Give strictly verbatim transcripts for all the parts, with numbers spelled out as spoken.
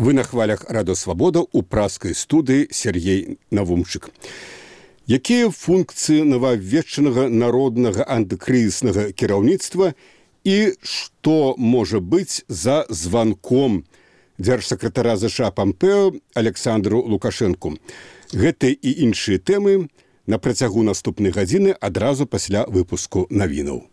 Вы на хвалях Радиосвобода у праскай студыі Сергей Навумчык. Якія функцыі новавведчанага народнага антыкрызіснага кіраўніцтва і што можа быць за званком дзяржсакратара ЗША Пампео Александру Лукашэнку? Гэтыя і іншыя тэмы на працягу наступнай гадзіны адразу пасля выпуску навінаў.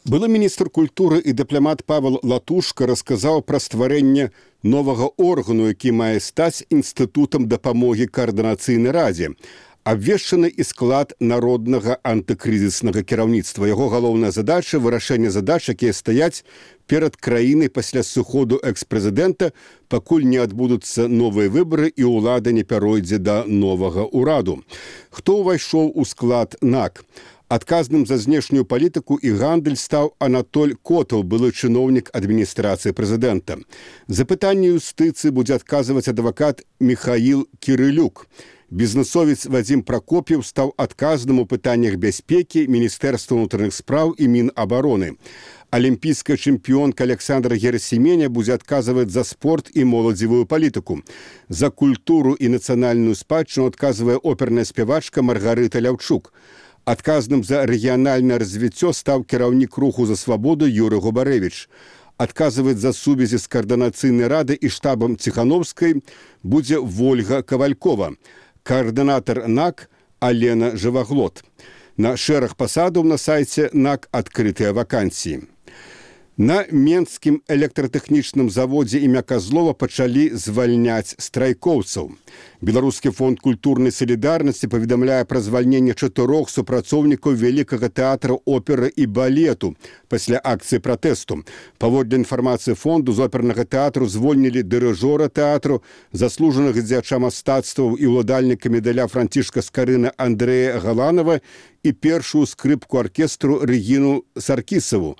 Былы міністр культуры і дыпламат Павел Латушка расказаў пра стварэнне новага органу, які мае стаць інстытутам дапамогі каардынацыйнай радзе. Абвешчаны і склад народнага антыкрызіснага кіраўніцтва. Яго галоўная задача – вырашэнне задач, якія стаяць перад краінай пасля сыходу экс-прэзідэнта, пакуль не адбудуцца новыя выбары і ўлада не пяройдзе да новага ўраду. Хто ўвайшоў у склад НАК? Адказным за знешнюю палітыку і гандаль стаў Анатоль Котаў, былы чыноўнік адміністрацыі прэзідэнта. За пытанне юстыцыі будзе адказваць адвакат Михаил Кірылюк. Бізнесовец Вадзім Пракоп'еў стаў адказным у пытаннях бяспекі Міністэрства ўнутраных спраў і Мінабароны. Алімпійская чэмпіёнка Александра Герасіменя будзе адказваць за спорт і моладзевую палітыку. За культуру і нацыянальную спадчыну адказвае оперная спявачка Маргарыта Ляўчук. Адказным за рэгіянальнае развіццё стаў кіраўнік руху за свабоду Юрый Губарэвіч. Адказваць за сувязі з каардынацыйнай рады і штабам Ціхановскай будзе Вольга Кавалькова. Каардынатар НАК Алена Жываглот. На шэраг пасадаў на сайце НАК адкрытыя вакансіі. На Менскім электратэхнічным заводзе імя Казлова пачалі звальняць страйкоўцаў. Беларускі фонд культурнай салідарнасці паведамляе пра звальненне чатырох супрацоўнікаў вялікага тэатра оперы і балету пасля акцыі пратэсту. Паводле інфармацыі фонду, з опернага тэатру звольнілі дырыжора тэатру, заслужанага дзеяча мастацтваў і ўладальніка медаля Францішка Скарына Андрэя Галанова і першую скрыпку аркестру Рэгіну Саркісаву.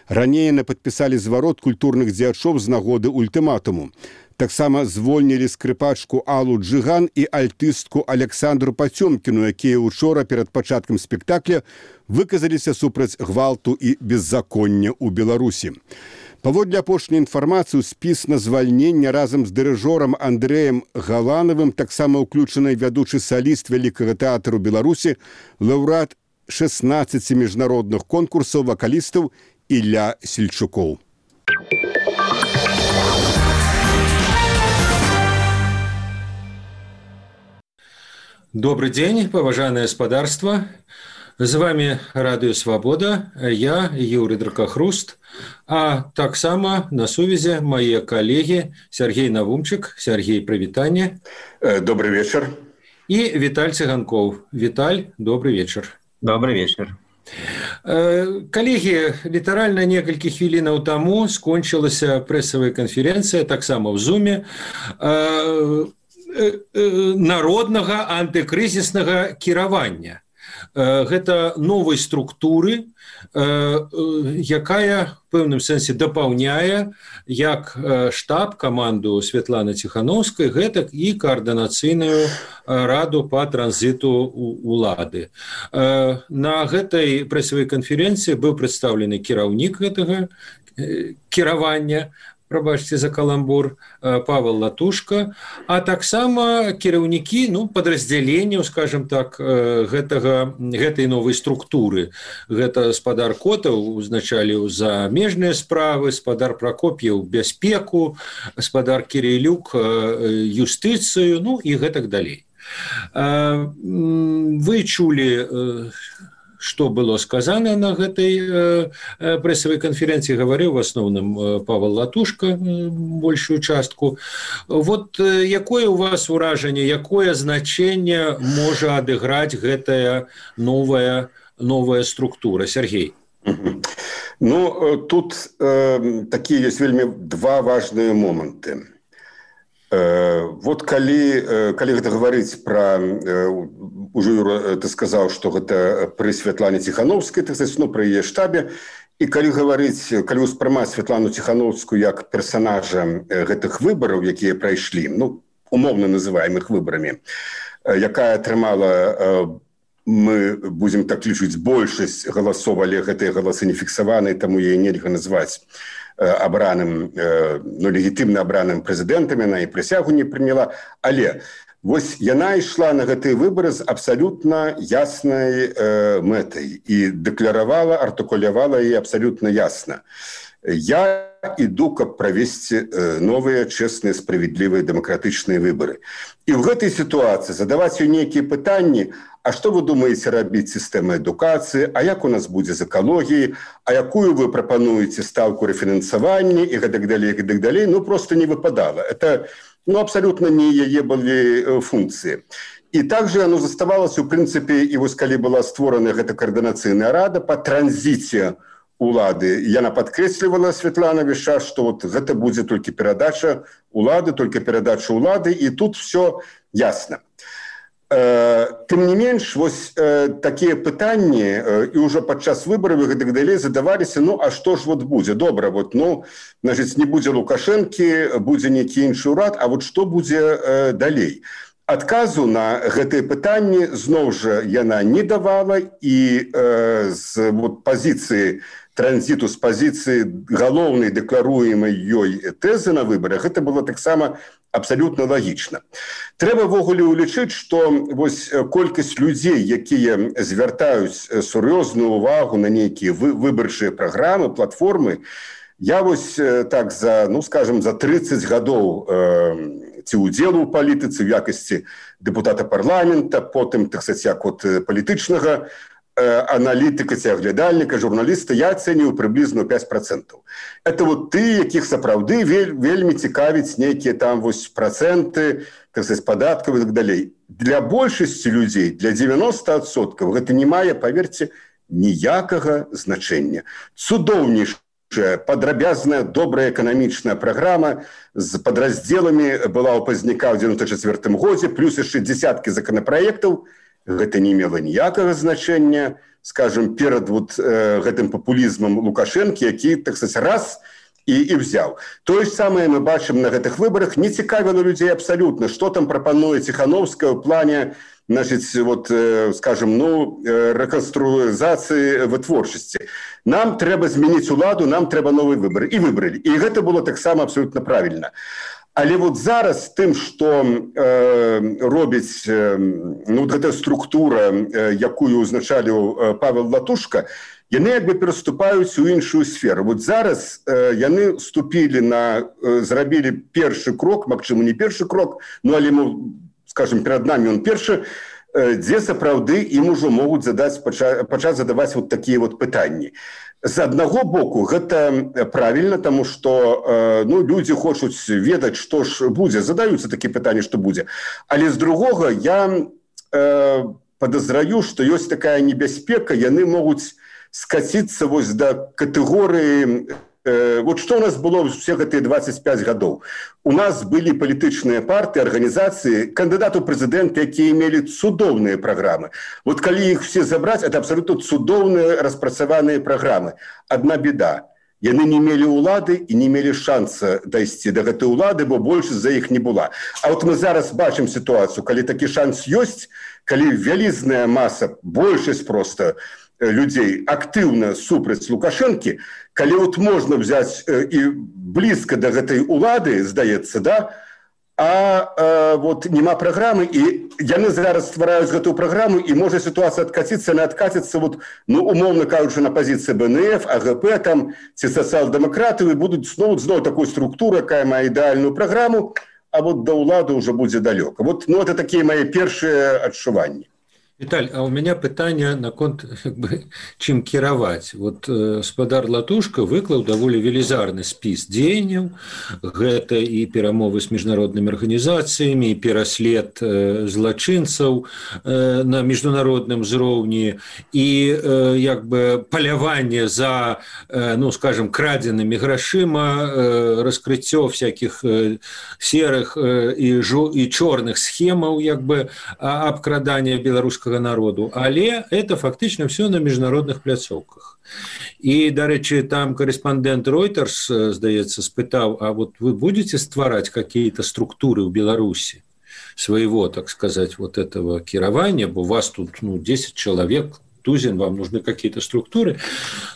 Раней яны падпісалі зварот культурных дзеячоў з нагоды ультыматуму. Таксама звольнілі скрыпачку Аллу Джиган і альтыстку Александру Пацёмкіну, якія учора перад пачаткам спектакля выказаліся супраць гвалту і беззаконня ў Беларусі. Паводле апошняй інфармацыі, спіс на звальнення разам з дырыжорам Андрэем Галанавым таксама ўключаны вядучы саліст Вялікага тэатру Беларусі, лаўрэат шэснаццаці міжнародных конкурсаў вакалістаў Ілля Сельчукоў. Добрый день, поважанное господарство. С вами Радио Свобода, я Юрий Дракохруст, а так само на сувязи мои коллеги Сергей Навумчик. Сергей, привитание. Добрый вечер. И Виталь Цыганков. Виталь, добрый вечер. Добрый вечер. Коллеги, літаральна некалькі хвілінаў таму скончылася прэсавая канферэнцыя, таксама ў Зуме, народнага антыкрызіснага кіравання. Гэта новай структуры, якая в пэўным сэнсе дапаўняе як штаб, каманду Святланы Ціхановскай, гэтак і каардынацыйную раду па транзіту улады. На гэтай прэсавай канферэнцыі быў прадстаўлены кіраўнік гэтага кіравання, прабачце за каламбур, Павел Латушка, а таксама кіраўнікі, ну, падраздзяленняў, скажем так, гэтага, гэтай новай структуры. Гэта спадар Котаў узначаліў замежныя справы, спадар Пракоп'еў бяспеку, спадар Кірылюк юстыцыю, ну і гэтак далей. Вы чулі, что было сказано на этой э, прессовой конференции, говорил в основном Павел Латушка большую частку. Вот э, якое у вас уражение, якое значение может адыграць гэтая новая, новая структура? Сергей. Ну, тут э, такие есть вельмі два важные моменты. Вот калі, калі гэта гаварыць пра, ужо Юра, ты сказаў, што гэта пры Святлане Ціхановскай, так сказаць, ну, пры яе штабе, і калі гаварыць, калі ўспрымаць Святлану Ціхановскую як персанажа гэтых выбараў, якія прайшлі, ну, умоўна называем іх выбарамі, якая атрымала мы будем так лічыць большасць галасоў, але гэтыя галасы не фіксаваныя, таму яе нельга назваць абраным, ну, легітымна абраным прэзідэнтам, яна і прысягу не прыняла, але вось яна ішла на гэтыя выбары з абсалютна яснай э, мэтай і дэкларавала, артыкулявала яе абсалютна ясна. Я іду, каб правесці новыя, чэсныя, справядлівыя, дэмакратычныя выбары. І ў гэтай сітуацыі задаваць ёй нейкія пытанні: а што вы думаеце рабіць сістэмай адукацыі, а як у нас будзе з экалогіяй, а якую вы прапануеце стаўку рэфінансавання і гэтак далей, гэтак далей, ну, проста не выпадала. Это, ну, абсалютна не яе былі функцыі. І также оно заставалася, у прынцыпе, і вось калі была створана гэта каардынацыйная рада па транзіце улады. Яна падкрэслівала, Святлана, весь час, што вот гэта будзе толькі перадача улады, толькі перадача улады, і тут все ясна. Тым не менш, вось такія пытанні і ўжо падчас выбараў і гэтак далей задаваліся: ну, а што ж вот будзе? Добра, вот, ну, значыць, не будзе Лукашэнкі, будзе нейкі іншы ўрад, а вот што будзе далей? Адказу на гэтыя пытанні зноў жа яна не давала, і э, з вот, пазіцыі транзіту, з пазіцыі галоўнай дэкларуемай ёй тэзы на выбарах, гэта было таксама абсалютна лагічна. Трэба ввогуле ўлічыць, што вось колькасць людзей, якія звяртаюць сур'ёзную ўвагу на нейкія выбарчыя праграмы, платформы, я вось так за, ну, скажем, за трыццаць гадоў э, ці ўдзелу ў палітыцы в якасці дэпутата парламента, потым, так сказаць, як от палітычнага аналітыка ці аглядальніка, журналіста, я ацэню прыблізна пяць працэнтаў. Это вот ты, якіх сапраўды вель, вельмі цікавіць нейкія там вось працэнты, так сказаць, падаткаў і так далей. Для большасці людзей, для дзевяноста адсоткаў гэта не мае, паверце, ніякага значэння. Цудоўнейшая, падрабязная, добрая эканамічная праграма з падраздзеламі была ў пазняка ў дзевяносто чацвёртым годзе, плюс яшчэ дзесяткі законапраектаў. Гэта не мела ніякага значэння, скажем, перад вот, э, гэтым папулізмам Лукашэнкі, які, так сказаць, раз і, і взяў. Тое ж самае мы бачым на гэтых выбарах. Не цікавіла людзей абсалютна, што там прапануе Ціхановская ў плане, значит, вот, э, скажем, ну, э, рэканструізацыі вытворчасці. Нам трэба змяніць уладу, нам трэба новыя выбары. І выбралі. І гэта было таксама абсалютна правільна. Але вот зараз тым, што э, робіць э, ну, гэта структура, э, якую узначаліў э, Павел Латушка, яны як бы пераступаюць у іншую сферу. Вот зараз э, яны ступілі на, э, зрабілі першы крок, магчыма, не першы крок, ну, але, ну, скажем, перад намі он першы, э, дзе сапраўды ім ужо могуць задаць, пача, пачаць задаваць вот такія вот пытанні. З аднаго боку, гэта правільна, таму што э, ну, людзі хочуць ведаць, што ж будзе, задаюцца такія пытанні, што будзе. Але з другога я э, падазраю, што ёсць такая небяспека, яны могуць скаціцца вось да катэгорыі. Э, вот што ў нас было ўсе гэтыя дваццаць пяць гадоў. У нас былі палітычныя партыі, арганізацыі, кандыдаты ў прэзідэнты, якія мелі цудоўныя праграмы. Вот калі іх все забраць, это абсалютна цудоўныя распрацаваныя праграмы. Адна беда. Яны не мелі ўлады і не мелі шанса дайсці да гэтай улады, бо большасць за іх не была. А вот мы зараз бачым сітуацыю, калі такі шанс ёсць, калі вялізная маса, большасць проста людзей актыўна супраць Лукашэнкі, калі вот можна взяць э, і блізка да гэтай улады, здаецца, да, а э, вот няма праграмы, і яны зараз ствараюць гэтую праграму, і можа сітуацыя адкаціцца, не адкаціцца, вот, ну, умоўна кажучы, на пазіцыі Бэ Эн Эф, А Гэ Пэ, там, ці сацыял-дэмакратыі, будуць зноў, зноў такой структуры, якая мае ідэальную праграму, а вот да ўлады ўжо будзе далёка. Вот, ну, это такія мае першыя адчуванні. Віталь, а у меня пытанне наконт чым кіраваць. Вот э, спадар Латушка выклаў даволі велізарны спіс дзеянняў. Гэта і перамовы з міжнароднымі арганізацыямі, і пераслед э, злачынцаў э, на міжнародным узроўні, і э, як бы паляванне за, э, ну, скажем, крадзенымі грашыма, э, раскрыццё всякіх э, серых э, і, жо, і чорных схемаў, як бы, абкрадання беларускага народу, але это фактично все на міжнародных пляцоўках. І, дарэчы, там корэспандэнт Reuters, здаецца, спытаў, а вот вы будете ствараць какие-то структуры ў Беларусі? своего, так сказать, вот этого кіравання, бо у вас тут ну, десять человек, тузин, вам нужны какие-то структуры.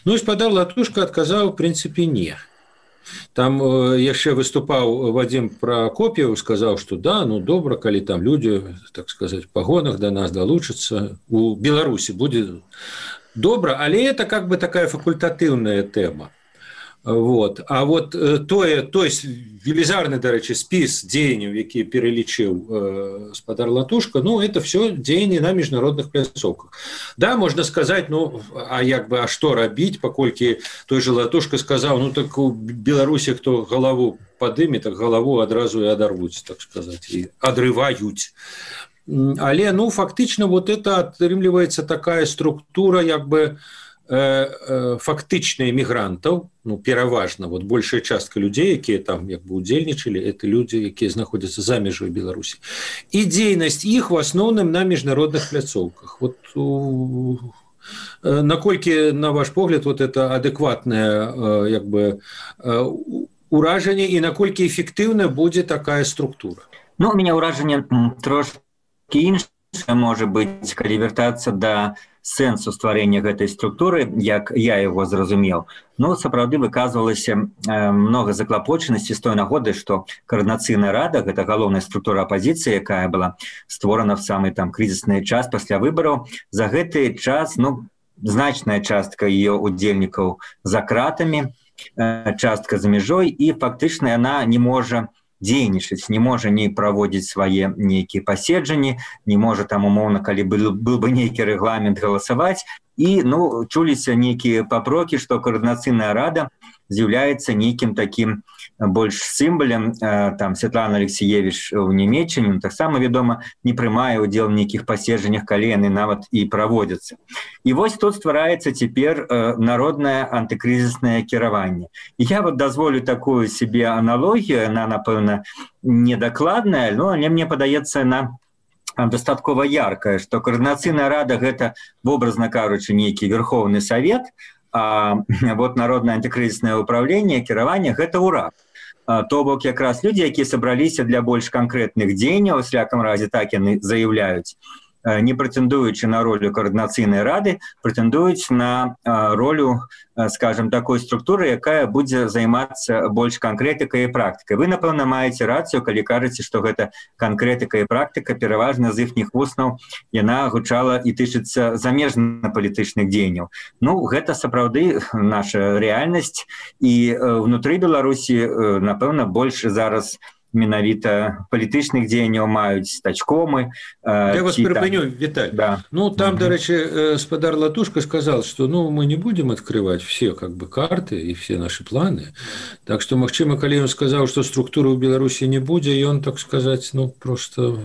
Ну, спадар Латушка отказал, в принципе, не. Там яшчэ выступаў Вадим Прокопьев, сказаў, што да, ну добра, калі там людзі, так сказать, в пагонах да нас далучацца, у Беларусі будзе добра, але это как бы такая факультатыўная тэма. Вот. А вот тое, той велізарны, дарэчы, спіс дзеянняў, які пералічыў э, спадар Латушка, ну, это все дзеянні на міжнародных пляцоўках. Да, можна сказаць, ну, а як бы, а што рабіць, паколькі той же Латушка сказаў, ну, так у Беларусі, хто галаву падыме, так галаву адразу і адарвуць, так сказаць, і адрываюць. Але, ну, фактычна, вот это атрымліваецца такая структура, як бы, фактычна эмігрантаў, ну, пераважна, вот большая частка людзей, якія там як бы удзельнічалі, это людзі, якія знаходзяцца за мяжой Беларусі. І дзейнасць іх в асноўным на міжнародных пляцоўках. Вот у... наколькі, на ваш погляд, вот это адэкватнае як бы уражанне і наколькі эфектыўна будзе такая структура? Ну, у меня уражанне трошки іншае можа быць, калі вяртацца да сэнсу стварэння гэтай структуры, як я его зразумеў. Ну, сапраўды выказвалася э, много заклапочанасці з той нагоды, што коордынацыйная рада, гэта галоўная структура апозіцыі, якая была створана в самы там крызісны час пасля выбараў, за гэты час, ну, значная частка ее удзельнікаў за кратамі, э, частка за мяжой, і фактычна яна не можа дзейнічаць, не можа не праводзіць свае нейкія паседжанні, не можа там умоўна, калі был, был бы нейкі рэгламент галасаваць. І ну, чуліся нейкія папрокі, што коордынацыйная рада з'яўляецца нейкім такім больш сімвалем. Там Святлана Алексеевич у Нямецчыне таксама, вядома, не прымае ўдзел у нейкіх паседжаннях, калі яны нават і праводзяцца. І вось тут ствараецца цяпер народнае антыкрызіснае кіраванне. І я вот дазволю такую себе аналогію, яна, напэўна, недакладная, но але мне падаецца, на дастаткова яркая, што коордынацыйная рада гэта, вобразна кажучы, нейкі верхоўны савет, а вот народнае антыкрызіснае ўпраўленне, кіраванне гэта ўрад. То бок якраз людзі, якія сабраліся для больш канкрэтных дзеянняў, у всяком разе так яны заяўляюць, не прэтэндуючы на ролю коордынацыйнай рады, прэтэндуюць на ролю, скажем, такой структуры, якая будзе займацца больш канкрэтыкай і практыкай. Вы, напэўна, маеце рацыю, калі кажаце, што гэта канкрэтыка і практыка, пераважна з іхніх вуснаў яна гучала і тычыцца замежна-палітычных дзеянняў. Ну, гэта сапраўды наша рэальнасць, і внутры Беларусі, напэўна, больш зараз менавіта палітычных дзеянняў маюць стачкомы. Я вас перапыню, Виталь. Да. Ну, там, угу. Дарэчы, спадар Латушка сказал, что ну, мы не будем открывать все как бы карты и все наши планы. Так что, магчыма, калі ён сказал, что структуры ў Беларусі не будзе, ён, так сказать, ну, просто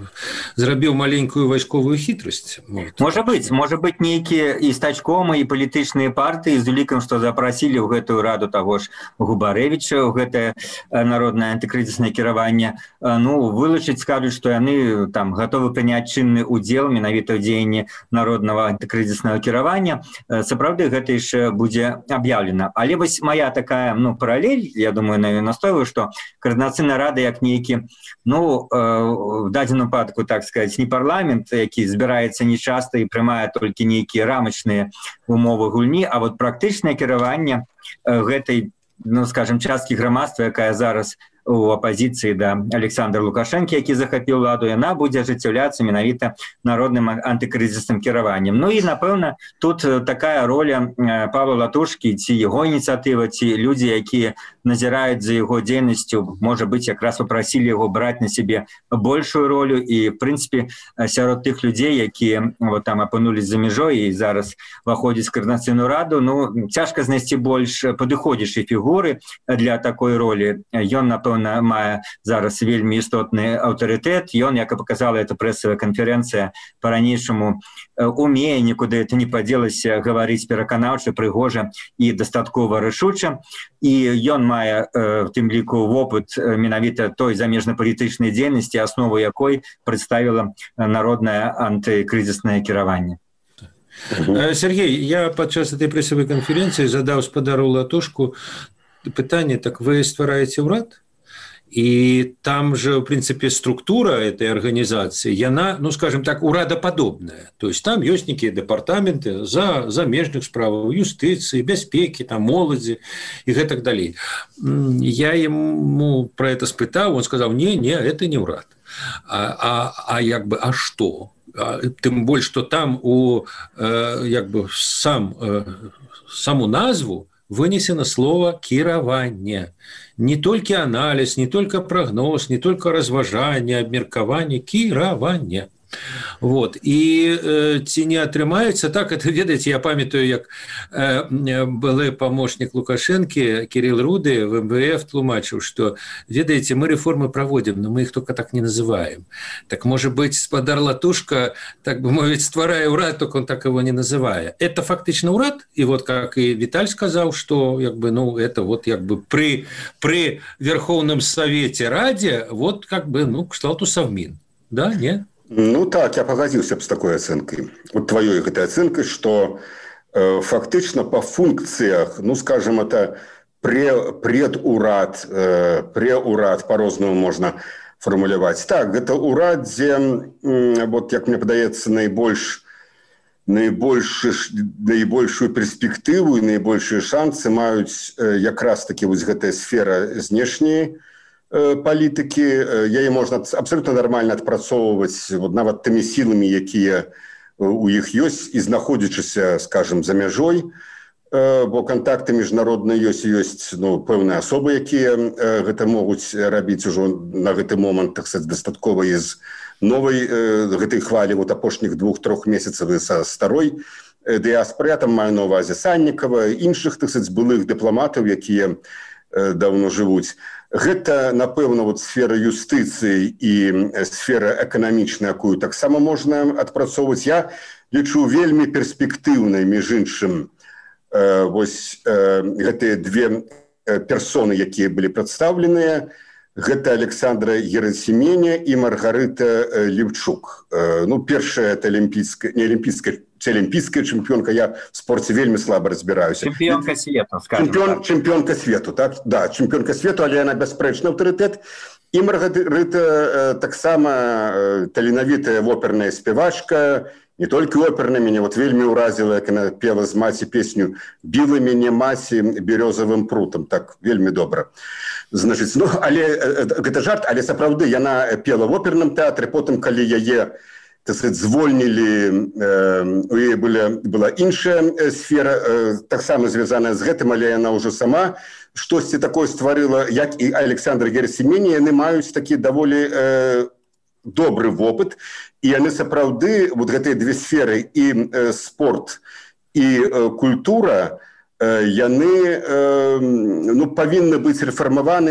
зрабіў маленькую вайсковую хітрасць. Вот. Можа быць, можа быць нейкія і стачкомы, і палітычныя партыі з улікам, што запрасілі ў гэтую раду таго ж Губарэвіча, ў гэтае народнае антыкрызіснае кіраванне. Ну, вылучыць, скажуць, што яны там гатовы прыняць чынны ўдзел менавіта ў дзеянні народнага антыкрызіснага кіравання. Сапраўды гэта яшчэ будзе аб'яўлена. Але вось моя такая, ну, паралель, я думаю, на настойваю, што коордынацыйная рада як нейкі, ну, в дадзеным выпадку, так сказаць, не парламент, які збіраецца нечаста і прымае толькі нейкія рамачныя умовы гульні, а вот практычнае кіраванне гэтай, ну, скажем, часткі грамадства, якая зараз у апозіцыі да Александра Лукашэнкі, які захапіў ладу, яна будзе ажыццяўляцца менавіта народным антыкрызісным кіраваннем. Ну і, напэўна, тут такая роля Павла Латушкі, ці яго ініцыятыва, ці людзі, якія назіраюць за яго дзейнасцю, можа быць, якраз папрасілі яго браць на сябе большую ролю, і, в прынцыпе, сярод тых людзей, якія вот там апынулись за мяжой і зараз выходзяць коордынацыйную раду, ну, цяжка знайсці больш падыходзячай фігуры для такой ролі. Ён, напэўна, мае зараз вельмі істотны аўтарытэт. Ён, як і паказала эта прэсавая канферэнцыя, па-ранейшаму умее, нікуды это не падзелася, гаварыць пераканаўча, прыгожа і дастаткова рашуча. І ён мае, в тым ліку, вопыт менавіта той замежна-палітычнай дзейнасці, аснову якой прадставіла народнае антыкрызіснае кіраванне. Сергей, я падчас этой прэсавай канферэнцыі задаў спадару Латушку пытанне, так вы ствараеце ўрад? И там же, в принципе, структура этой организации, она, ну, скажем так, урадоподобная. То есть там есть некие департаменты за замежных справ, юстиции, бяспеки, там, молоди и так далее. Я ему про это спытал, он сказал, не, не, это не урад. А, а, а як бы, а что? А, тем более, что там у, э, як бы, сам, э, саму назву вынесено слово «кіраванне». Не только анализ, не только прогноз, не только разважание, обмеркование, кіраванне. Вот. И э, ці не атрымаецца, так, это, ведаеце, я памятаю, як э, былы помощник Лукашенко, Кирилл Руды, в эм вэ эф тлумачыў, что, ведаеце, мы реформы проводим, но мы их только так не называем. Так, может быть, спадар Латушка, так бы мовить, стварая урад, только он так его не называя. Это фактично урад, и вот как и Виталь сказал, что, як бы, ну, это вот, як бы, при, при Верховном Совете Раде, вот, как бы, ну, кшталту Совмин. Да, нет? Ну так, я пагадзіўся б з такой ацэнкай. Вот твоей гэтай ацэнкай, што э, фактычна па функцыях, ну скажем, это пре, предурад, э, преурад, по-рознаму можна фармуляваць. Так, гэта урад, дзе, э, вот, як мне падаецца, найбольш, найбольш, найбольшую перспектыву і найбольшыя шансы маюць э, якраз такі вось гэтая сфера знешняй палітыкі, яе можна абсолютно нормально адпрацоўваць вот, нават тымі сіламі, якія у іх ёсць і знаходзячыся, скажем, за мяжой, бо контакты міжнародныя ёсць, ёсць ну, пэўныя асобы, якія гэта могуць рабіць ужо на гэты момант, так сказать, дастаткова з новай гэтай хвалі вот апошніх двух-трох месяцаў са старой дыяспоры, там маю на ўвазе Саннікава, іншых, так сказать, былых дыпламатаў, якія давно жывуць. Гэта, напэўна, вот сфера юстыцыі і сфера эканамічная, якую таксама можна адпрацоўваць. Я лічу вельмі перспектыўнай, між іншым, э, вось э, гэтыя две персоны, якія былі прадстаўленыя. Гэта Александра Герасименя і Маргарыта Левчук. Э, ну, першая это олимпийская, не олимпийская, олимпийская чемпионка. Я в спорте вельми слабо разбираюсь. Чемпионка свету, скажем Чемпион, так. Чемпионка свету, так? Да, чемпионка свету, але она беспрэчны аўтарытэт. І Маргарыта э, таксама э, таленавітая оперная спевачка. Не только оперная, меня вот вельми уразила, як она пела з маці песню «Біла мяне маці берёзавым прутам». Так, вельми добра. Значит, ну, але, гэта жарт, але сапраўды, яна пела в оперным тэатры, потым, калі яе, так сказать, звольнілі, э, у яе была, была іншая сфера, э, таксама звязаная з гэтым, але яна ўжо сама штосьці такое стварыла, як і Александр Герасименя, яны маюць такі даволі э, добры вопыт, і яны сапраўды, вот гэтыя две сферы, і э, спорт, і э, культура, э, яны э, ну, павінны быць рэфармаваны,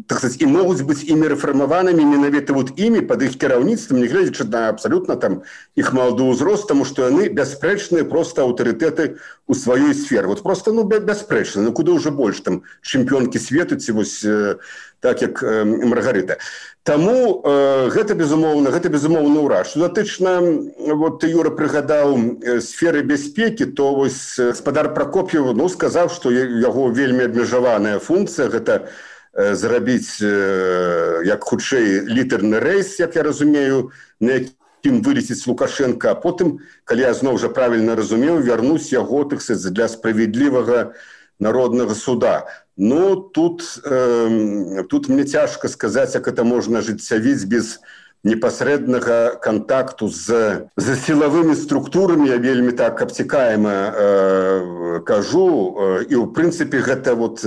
так сказать, і могуць быць імі рэфармаванымі менавіта вот імі пад іх кіраўніцтвам, не гледзячы на абсалютна там іх малады ўзрост, таму што яны бясспрэчныя просто аўтарытэты у сваёй сферы. Вот просто, ну, бясспрэчна, ну куды ўжо больш там чэмпіёнкі свету ці вось э, так як э, Маргарыта. Таму э, гэта безумоўна, гэта безумоўна ўрад. Што датычна, вот ты, Юра, прыгадаў э, сферы бяспекі, то вось гаспадар Прокоп'ев, ну, сказаў, што яго вельмі абмежаваная функцыя, гэта э, зрабіць э, як хутчэй літарны рэйс, як я разумею, на якім вылеціць Лукашенко, а потым, калі я зноў жа правільна разумеў, вярнуць яго, так сказать, для справядлівага народнага суда. Ну, тут, э, тут мне цяжка сказаць, як это можна ажыццявіць без непасрэднага контакту з, з сілавымі структурамі. Я вельмі так абцікаема э, кажу. І, ў прынцыпе, гэта, вот,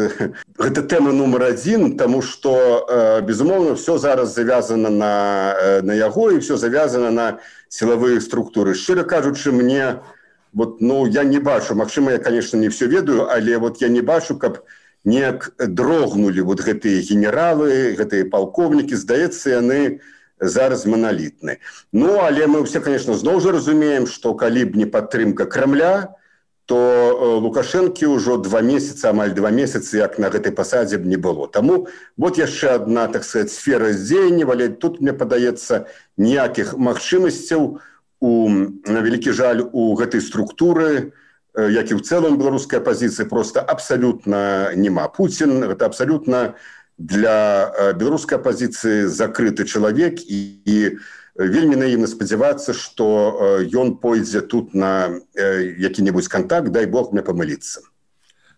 гэта тэма нумар адзін, таму што, э, безумоўна, все зараз завязана на, на яго, і все завязана на сілавыя структуры. Шчыра кажучы, мне, вот, ну, я не бачу, магчыма, я, конечно, не все ведаю, але вот я не бачу, каб неяк дрогнули вот гэтыя генералы, гэтыя палковнікі, здаецца, яны зараз маналітны. Ну, але мы все, конечно, зноў жа разумеем, што калі б не падтрымка Крамля, то Лукашэнкі ўжо два месяца, амаль два месяцы, як на гэтай пасадзе б не было. Таму вот яшчэ одна, так сказать, сфера здзеяння, але тут, мне падаецца, ніякіх магчымасцяў, у, на вялікі жаль, у гэтай структуры, як і ў цэлым беларускай апазіцыі, просто абсалютна няма. Пуцін — гэта абсалютна для беларускай апозіцыі закрыты чалавек і, і вельмі наіўна спадзявацца, што ён пойдзе тут на які-небудзь контакт, дай бог мне памыліцца.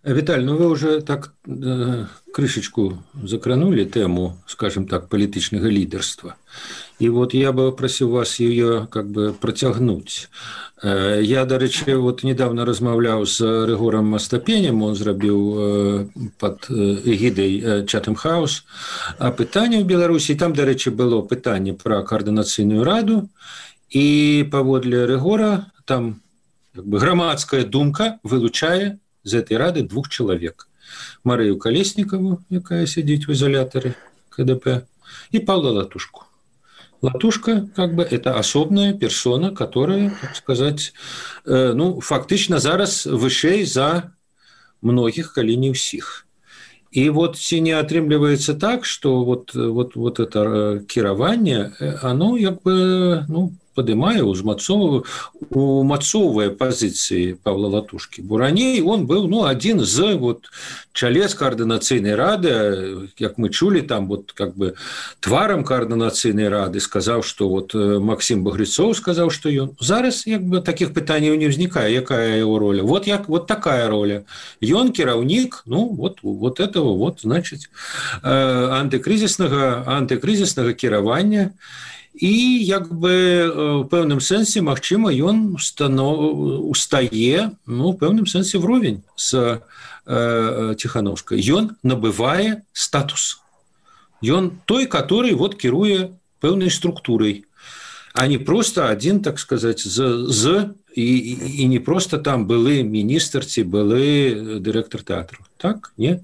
Виталий, ну вы уже так э, крышечку закранули тему, скажем так, политичного лидерства. И вот я бы просил вас ее как бы протягнуть. Э, я, до речи, вот недавно размовлял с Ригором Остапенем, он сделал э, под эгидой э, Chatham House опытание в Беларуси. И там, до речи, было питание про координационную раду. И поводле Ригора там как бы громадская думка вылучает з этой рады двух человек. Марию Колесникову, якая сидит в изоляторе ка дэ пэ, и Павла Латушку. Латушка, как бы, это особная персона, которая, так сказать, э, ну, фактично зараз вышэй за многих, калі не ўсіх. И вот ці не атрымліваецца так, что вот, вот, вот это кіраванне, оно, как бы, ну, поднимая, умацоўвае позиции Павла Латушки. Бо раней он был, ну, один из вот чалец координацыйнай рады, как мы чули, там вот как бы тваром координацыйнай рады сказал, что вот Максим Багрецов сказал, что он зараз как бы таких пытаний не возникает, якая его роля. Вот як вот такая роля. Он кіраўнік, ну вот вот этого вот значит антикризисного антикризисного кіравання. І як би в певному сенсі, магчыма, ён устае, ну, в певному сенсі вровень з э, Тихановской. Ён набывае статус. Ён той, который вот кіруе пэўнай структурой, а не просто один, так сказать, з, з і, і не просто там былы міністр ці былы дырэктар тэатру. Так? Не?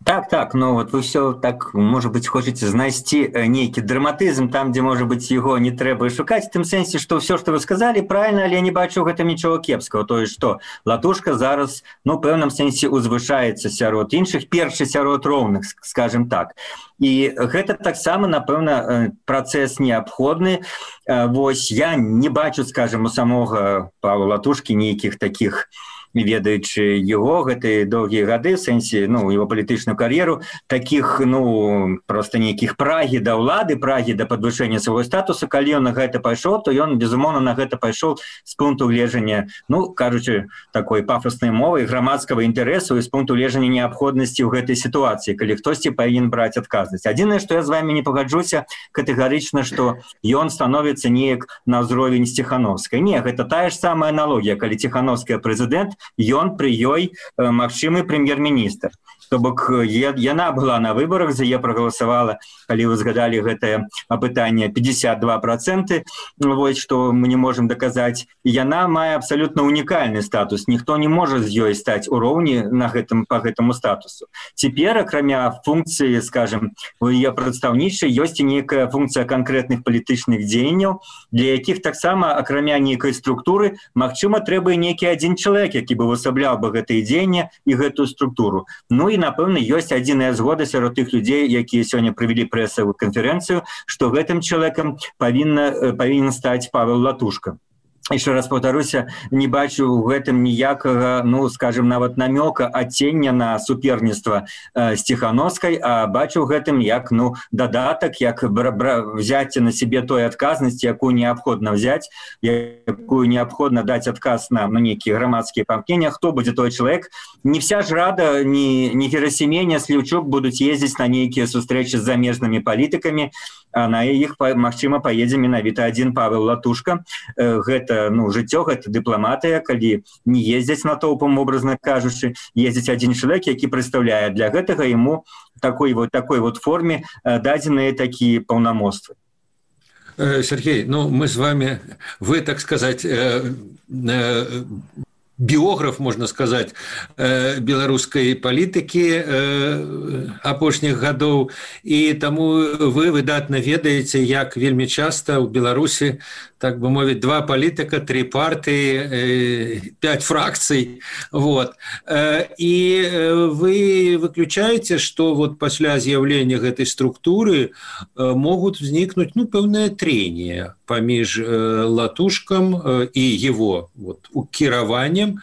Так, так, ну вот вы все так, может быть, хочете знайсці нейкі драматызм там, где, может быть, его не трэба шукаць, в тым сэнсе, что все, что вы сказали, правильно, але я не бачу ў гэтым нічого кепского. То есть, что Латушка зараз, ну, в пэўным сэнсе узвышаецца сярод іншых, першы сярод роўных, скажем так. І гэта таксама, напэўна, працэс неабходны. Вось я не бачу, скажем, у самога Павла Латушкі нейкіх таких, ведаючы его гэтыя доўгія гады, в сэнсе, ну, его палітычную кар'еру, таких, ну, просто нейкіх прагі да ўлады, прагі да падвышэння свайго статусу. Калі ён на гэта пайшоў, то ён, безумоўна, на гэта пайшоў з пункту гледжання, ну, кажучы такой пафоснай мовай, грамадскага інтарэсу і з пункту гледжання неабходнасці ў гэтай сітуацыі, калі хтосьці павінен браць адказнасць. Адзінае, што я з вами не пагаджуся катэгарычна, што ён становіцца неяк на ўзровень Тихановскай. Не, гэта тая ж самая аналогія, калі Тихановская прэзідэнт, ён пры ёй э, магчымы прэм'ер-міністр. То бок яна была на выборах, за яе прагаласавала, калі вы згадалі гэтае апытанне, пятьдесят два процента, вось што мы не можем доказаць. І яна мае абсалютна унікальны статус. Ніхто не можа з ёй стаць у роўні на гэтым по гэтаму статусу. Цяпер, акрамя функцыі, скажем, у яе прадстаўнічай ёсць і нейкая функцыя канкрэтных палітычных дзеянняў, для якіх таксама, акрамя нейкай структуры, магчыма, трэба і нейкі адзін чалавек, які бы высабляў бы гэтыя дзеяння і гэтую структуру. Ну і напэўна, ёсць адзіная згода сярод тых людзей, якія сёння правялі прэсавую канферэнцыю, што гэтым чалавекам павінна павінен стаць Павел Латушка. Еще раз повторюся, не бачу в гэтым ніякага, ну, скажем, нават намёка адцення на суперніцтва э, з Тихановскай, а бачу в гэтым як, ну, дадатак, як взяць на себе той адказнасць, якую неабходна взять, якую неабходна даць адказ на, на нейкія грамадскія памкнення, хто будзе той чалавек. Не вся ж рада, ни, ни Герасимей, ни Сліўчук будуць ездзіць на нейкія сустрэчы з замежнымі палітыкамі, а на іх, магчыма, паедзе менавіта адзін Павел Латушка. Э, гэта ну, жыццё, гэта дыпламатыя, калі не ездзяць натоўпам, образна кажучы, ездзіць адзін чалавек, які прадстаўляе. Для гэтага яму такой вот, такой вот форме дадзеныя такія паўнамоцтвы. Сергей, ну мы с вами, вы, так сказать, э, э, биограф, можно сказать, э, беларускай палітыкі э, апошніх гадоў, і таму вы выдатна ведаеце, як вельмі часта ў Беларусі, так бы мовіць, два палітыка, три партии, э, пять фракций. Вот. Э, и вы выключаете, что вот после з'яўлення гэтай структуры э, могут возникнуть, ну, пэўнае трение паміж э, Латушкам э, и его вот, кіраваннем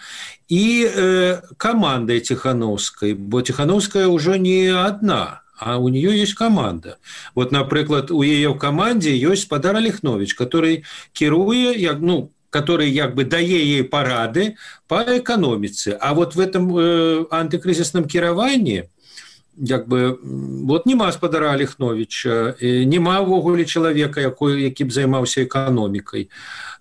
и э, командой Тихановской, бо Тихановская уже не одна. а у нее есть команда. Вот, например, у ее в команде есть Спадар Алехнович, который кируе, ну, который как бы дае ей парады по экономице. А вот в этом э, антикризисном кіраванні як бы вот нема Спадара Алехновича, нема ввогуле чалавека, якой, які б займаўся эканомікай.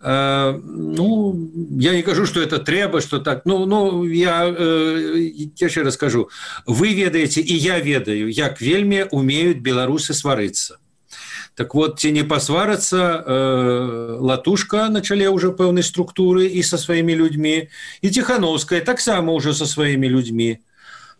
Э, ну, я не кажу, что это трэба, что так. Ну, ну я э, яшчэ раз скажу. Вы ведаеце, и я ведаю, як вельмі умеют беларусы сварыцца. Так вот, ці не посварыцца э, Латушка на чале уже пэўнай структуры и со своими людьми, и Тихановская так само уже со своими людьми.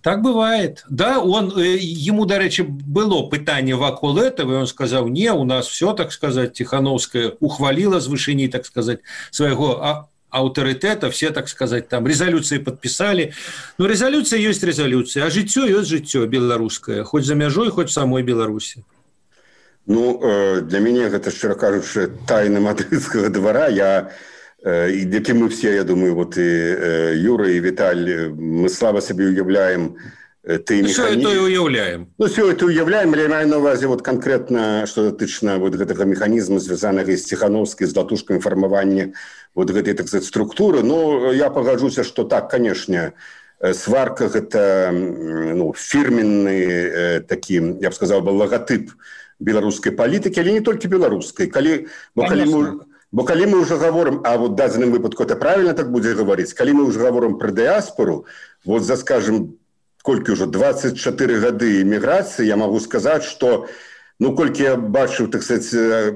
Так бывает. Да, он, ему, до речи, было пытание вакол этого, и он сказал, не, у нас все, так сказать, Тихановская ухвалила с вышини, так сказать, своего авторитета, все, так сказать, там резолюции подписали. Но резолюция есть резолюция, а житё есть житё белорусское, хоть за мяжой, хоть в самой Беларуси. Ну, для мяне гэта, шчыра кажучы, тайна мадрыдскага двара. Я, і які мы все, я думаю, вот і Юра, і Віталь, мы слабо собі уявляем ты механізм. Все это уявляем. Ну, все это уявляем, але я маю на увазе вот конкретно, что датычна вот гэтага механізму, звязанага з Тихановскай, з Латушкай фармавання вот гэтай, так сказать, структуры. Ну, я пагаджуся, что так, конечно, сварка гэта, ну, фирменный такі, я б сказал, логотип беларускай палітыкі, але не толькі беларускай. Калі, бо, калі мы, бо калі мы уже говорим, а вот в дадзеным выпадку это правильно так будзе говорить, калі мы уже говорим про дыаспору, вот за, скажем, колькі уже двадцать четыре гады эміграцыі, я могу сказать, что, ну, колькі я бачыў, так сказать,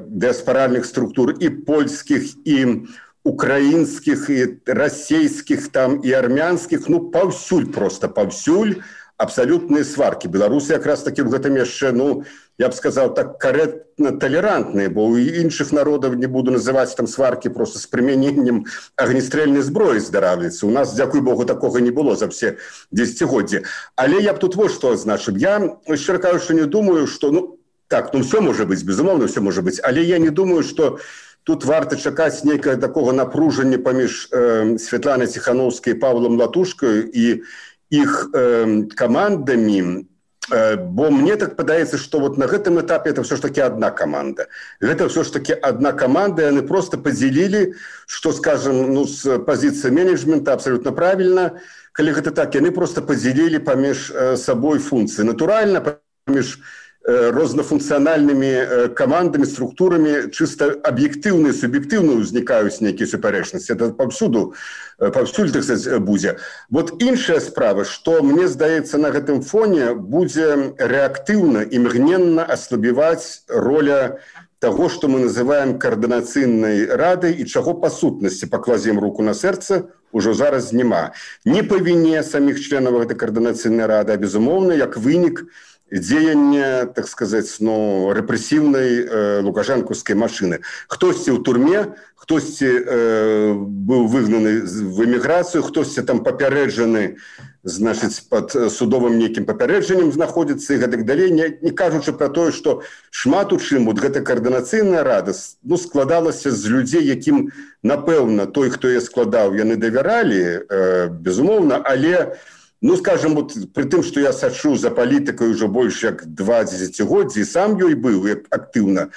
дыаспоральных структур и польских, и украинских, и российских, там, и армянских, ну, паўсюль просто, паўсюль абсолютные сварки. Беларуси как раз таки в этом яшчэ, ну, я бы сказал, так корректно толерантные, бо у іншых народов, не буду называть там сварки, просто с применением огнестрельной зброи здаравліцца. У нас, дзякуй Богу, такого не было за все десятигодия. Але я б тут вот что означил. Я, шчыра кажучы, не думаю, что, ну, так, ну, все может быть, безумовно, все может быть, але я не думаю, что тут варта чакаць нейкага такого напружання паміж э, Святланай Тихановскай и Павлом Латушкой и их э, командами, э, бо мне так падаецца, что вот на гэтым этапе это все ж таки одна команда. Это все ж таки одна команда, и они просто поделили, что, скажем, ну, с позиции менеджмента абсолютно правильно, калі гэта так, они просто поделили помеж э, собой функции. Натурально, помеж рознафункцыянальнымі камандамі, структурамі чыста аб'ектыўна і суб'ектыўна ўзнікаюць нейкія супярэчнасці. Это паўсюду, паўсюль, так сказать, будзе. Вот іншая справа, што мне здаецца на гэтым фоне будзе рэактыўна, імгненна аслабіваць роля того, што мы называем координацыйнай радай і чаго па сутнасці, пакладзем руку на сэрца, ужо зараз няма. Не па віне саміх членаў гэтай координацыйнай рады, а безумоўна, як вынік дзеяння, так сказать, ну, рэпрэсіўнай э, лукашэнкаўскай машыны. Хтосьці ў турме, хтосьці э, быў выгнаны в эміграцыю, хтосьці там папярэджаны, значыць, под судовым нейкім папярэджаннем знаходзіцца і гэтак далей, не, не кажучы пра тое, што шмат у чым вот гэта координацыйная рада, ну, складалася з людзей, якім, напэўна, той, хто я складаў, яны давяралі, э, безумоўна, але, ну, скажем, вот при тым, что я сачу за политикой уже больше как два десятигодия, и сам ёй был активно,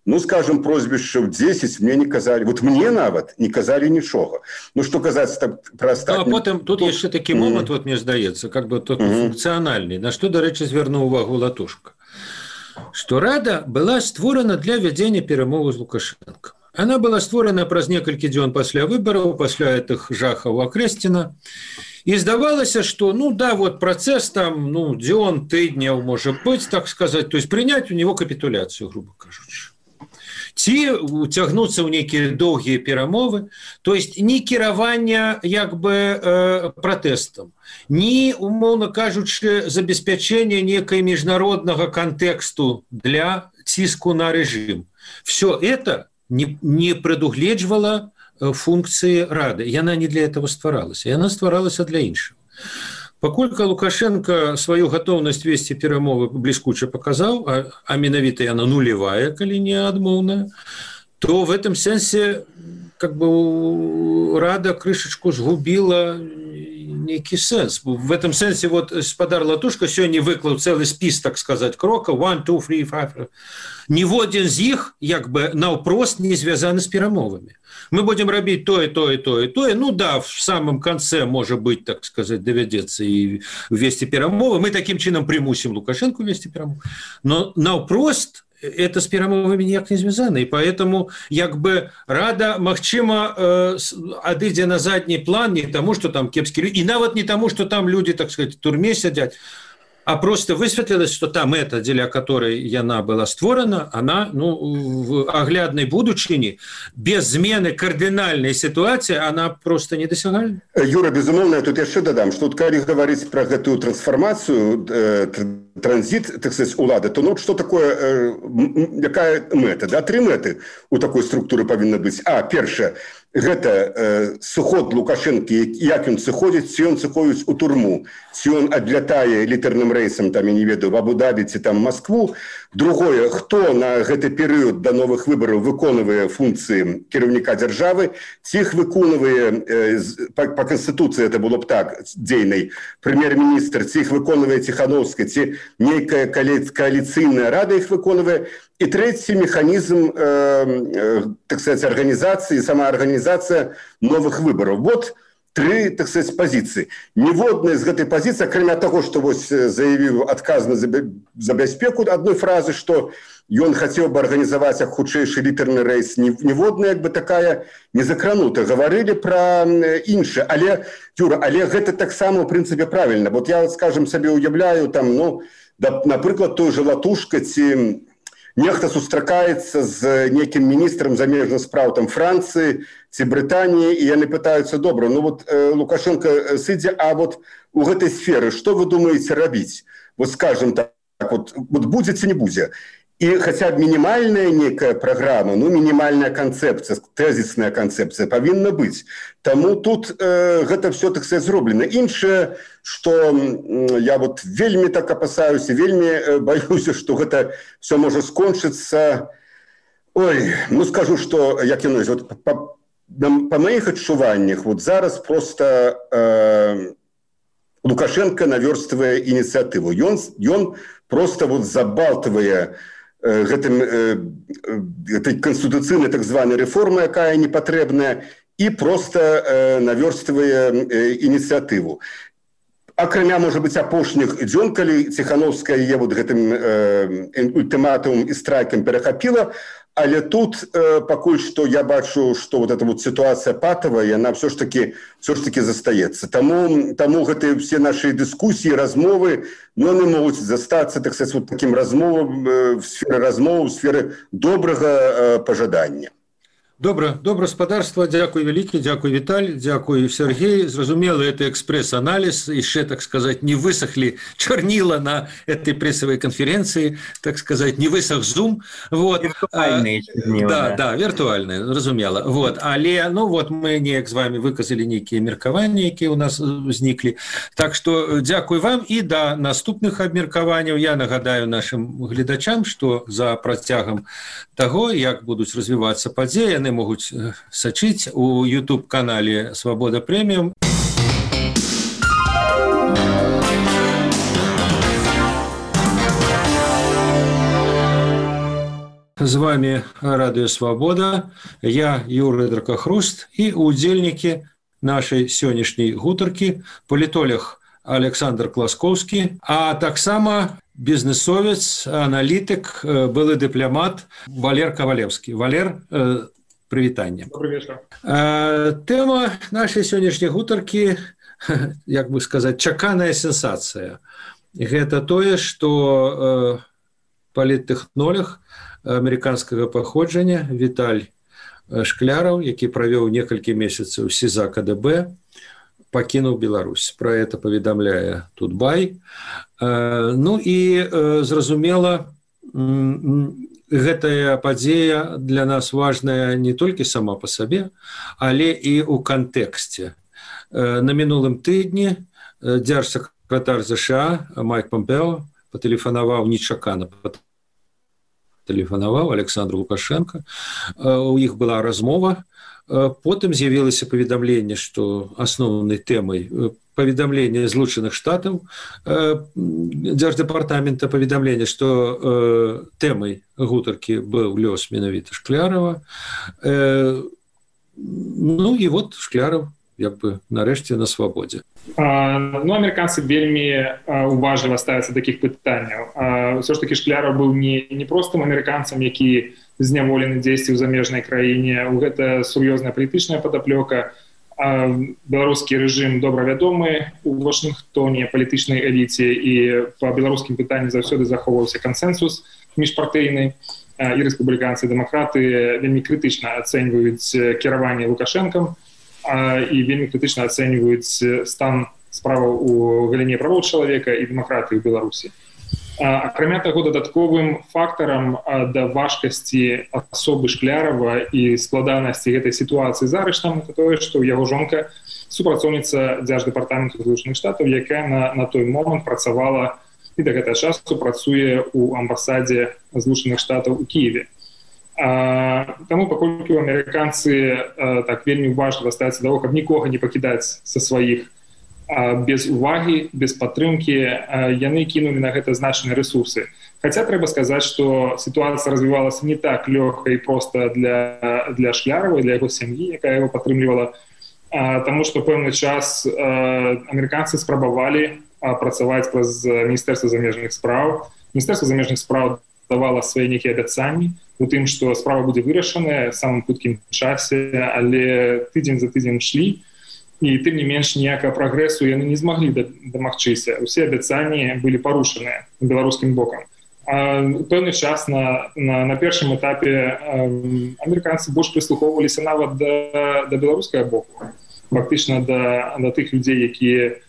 ну, скажем, прозвищев десять мне не казали, вот мне нават не казали ничего. Ну, что казаться так про остальных. Ну, а потом тут, тут есть такой момент, mm-hmm. вот мне сдается, как бы тот mm-hmm. функциональный, на что, до речи, звернул увагу Латушка, что Рада была створена для вядзення перамоваў з Лукашенко. Она была створена праз некалькі дзён пасля выбораў, пасля этих жахаў Акрэсціна. И здавалася, что, ну да, вот процесс там, ну, дзён, тыдняў, может быть, так сказать, то есть принять у него капитуляцию, грубо кажучи. Ці уцягнуцца ў нейкія доўгія перамовы, то есть ні кіравання як бы э, пратэстам, ні, умоўна кажучы, забеспячэння некай міжнароднага кантэксту для ціску на рэжым. Все это не, не прадугледжвала функции Рады. И она не для этого стваралась. И она стваралась для іншого. Паколькі Лукашенко свою готовность вести перамовы бліскуча показал, а, а менавіта яна нулевая, калі не адмоўная, то в этом сенсе как бы Рада крышечку сгубила нейкі сэнс. В этом сэнсе вот спадар Латушка сёння выклаў цэлы спіс, так сказать, крокаў one, two, three, five. Ніводзін з іх як бы наўпрост не звязаны з перамовамі. Мы будем рабіць тое, тое, тое, тое. Ну да, в самом конце, может быть, так сказать, доведется и ввести перамовы. Мы таким чином примусим Лукашенко ввести перамовы. Но наўпрост это с перамовамі ніяк не звязано. И поэтому як бы рада, магчыма, э, адыдзе на задний план не тому, что там кепские люди, и нават не тому, что там люди, так сказать, в турме сидят, а просто высветлилось, что та мэта, дзеля которой яна была створена, она, ну, в аглядной будучыні, без змены кардинальной ситуации, она просто недосягальна. Юра, безумовно, я тут яшчэ дадам, что вот, калі говорить про гэтую трансформацию, э, транзит, так сказать, улады, то ну, что такое, э, якая мэта? Да? Три мэты у такой структуры павінна быць. А, першае, гэта э, сыход Лукашенко, як ён сыходзіць, ці ён сыходзіць у турму, ці ён адлятае літарным рэйсам, там, я не ведаю, в Абу-Дабі ці там Москву. Другое, хто на гэты перыяд да новых выбараў выконвае функцыі кіраўніка дзяржавы, ці іх выконвае, э, па, па Конституцыі это было б так, дзейнай, прэм'ер-міністр, ці іх выконвае Ціхановская, ці нейкая коаліцыйная рада іх выконвае. И третий механизм, э, э, так сказать, организации, самоорганизация новых выборов. Вот три, так сказать, позиции. Ніводная из этой позиции, кроме того, что вот заявил отказно за, за бяспеку одной фразы, что он хотел бы организовать как худшейший литерный рейс, ніводная как бы такая не закранута. Говорили про инше. Але, Юра, але это так само в принципе правильно. Вот я, скажем, себе уявляю, там, ну, да, например, той же Латушка, ці... Нехта сустракаецца з некім міністрам замежных спраў там Францыі ці Брытаніі, і яны пытаюцца, добра, ну вот э, Лукашенко сыдзе, а вот у гэтай сферы што вы думаеце рабіць? Вот скажем так, вот, вот будзе ці не будзе? И хотя бы минимальная некая программа, ну, минимальная концепция, тезисная концепция повинна быть. Тому тут э, это все, так сказать, зроблено. Инше, что э, я вот вельми так опасаюсь, вельми э, боюсь, что это все может скончиться. Ой, ну, скажу, что, як я вот, по, по моих адчуваннях, вот зараз просто э, Лукашенко наверстывая инициативу. И он, и он просто вот забалтывая гэтым, этой конституцыйнай так званой рэформы, якая непатрэбная, і проста наверстывае ініцыятыву. Акрамя, можа быць, апошніх дзён, калі Ціхановская яе вот гэтым ультыматумам і страйкам перахапіла, але тут э, пакуль што я бачу, што вот эта вот ситуация патавая, яна все ж таки все ж таки застаецца. Таму таму гэтыя все наши дыскусіі, размовы, но не могуць застацца, так сказать, вот таким размовам э, в сферы размовы, в сферы добрага э, пажадання. Добра, добра, спадарства, дзякуй вялікі, дзякуй Віталь, дзякуй Сергей. Зразумела, это экспресс-анализ, еще, так сказать, не высохли чернила на этой прессовой конференции, так сказать, не высох зум. Вот. Виртуальные чернила. Да, да, да, виртуальные, разумела. Вот. Але, ну вот, мы неяк з вами выказали некие меркаванні, якія у нас возникли. Так что дзякуй вам и до наступных абмеркаванняў. Я нагадаю нашим гледачам, что за працягам того, як будуць развиваться падзеі, яны могуць сачыць у YouTube-канале «Свобода премиум». З вами Радио Свобода, я Юрий Дракохруст и удзельники нашей сённяшняй гутаркі палітолог Александр Класкоўскі, а таксама бізнесовец, аналітык, былы дыпламат Валер Кавалевскі. Валер, прывітанне. Добрый вечер. Тэма нашай сённяшняй гутаркі, як бы сказаць, чаканая сенсацыя. Гэта тое, што паліттэхнолог амерыканскага паходжання Віталь Шкляраў, які правёў некалькі месяцаў СІЗА КДБ, пакінуў Беларусь. Пра это паведамляе Тутбай. Ну і зразумела, гэтая падзея для нас важная не толькі сама па сабе, але і ў кантэксце. На мінулым тыдні дзяржсакратар ЗША Майк Помпео патэлефанаваў нечакана патэлефанаваў Александру Лукашенко. У іх была размова. Потым з'явілася паведамленне, што асноўнай тэмай паведамленне Злучаных Штатаў дзярждэпартамента паведамлення, што тэмай гутаркі быў лёс менавіта Шклярова. Ну і вот Шкляров як бы нарэшце на свабодзе. Ну, амерыканцы вельмі уважліва ставяцца такіх пытанняў. Ўсё ж такі Шкляров быў не, не простым амерыканцам, які зняволены дзесьці ў замежнай краіне. Гэта сур'ёзная палітычная падаплёка. Беларускі рэжым добра вядомы у Вашынгтоне палітычнай эліце, і па беларускім пытанні заўсёды захоўваўся кансэнсус міжпартыйны, і рэспубліканцы, і дэмакраты вельмі крытычна ацэньваюць кіраванне Лукашэнкам і вельмі крытычна ацэньваюць стан справаў у галіне правоў чалавека і дэмакратыі ў Беларусі. Акрамя таго, дадатковым фактарам да важкасці асобы Шклярова і складанасці гэтай сітуацыі з арыштам это тое, што яго жонка супрацоўніца дзярждэпартаменту Злучаных Штатаў, якая на, на той момант працавала і да гэтага часу працуе ў амбасадзе Злучаных Штатаў у Кіеве. А, таму паколькі амерыканцы а, так вельмі уважліва ставяцца да таго, каб нікога не пакідаць са сваіх без увагі, без падтрымкі, яны кінулі на гэта значныя рэсурсы. Хаця трэба сказаць, што сітуацыя развівалася не так лёгка і проста для, для Шклярова, для яго сям'і, якая яго падтрымлівала, таму што пэўны час амерыканцы спрабавалі працаваць праз Міністэрства замежных спраў. Міністэрства замежных спраў давала свае нейкія абяцанні у тым, што справа будзе вырашаная самым хуткім часе, але тыдзень за тыдзень шлі, і тым не менш ніякага прагрэсу яны не змаглі дамагчыся. Усе абяцанні былі парушаныя беларускім бокам. А пэўны час на, на, на першым этапе амерыканцы больш прыслухоўваліся нават да, да беларускага боку. Фактычна да, да тых людзей, якія,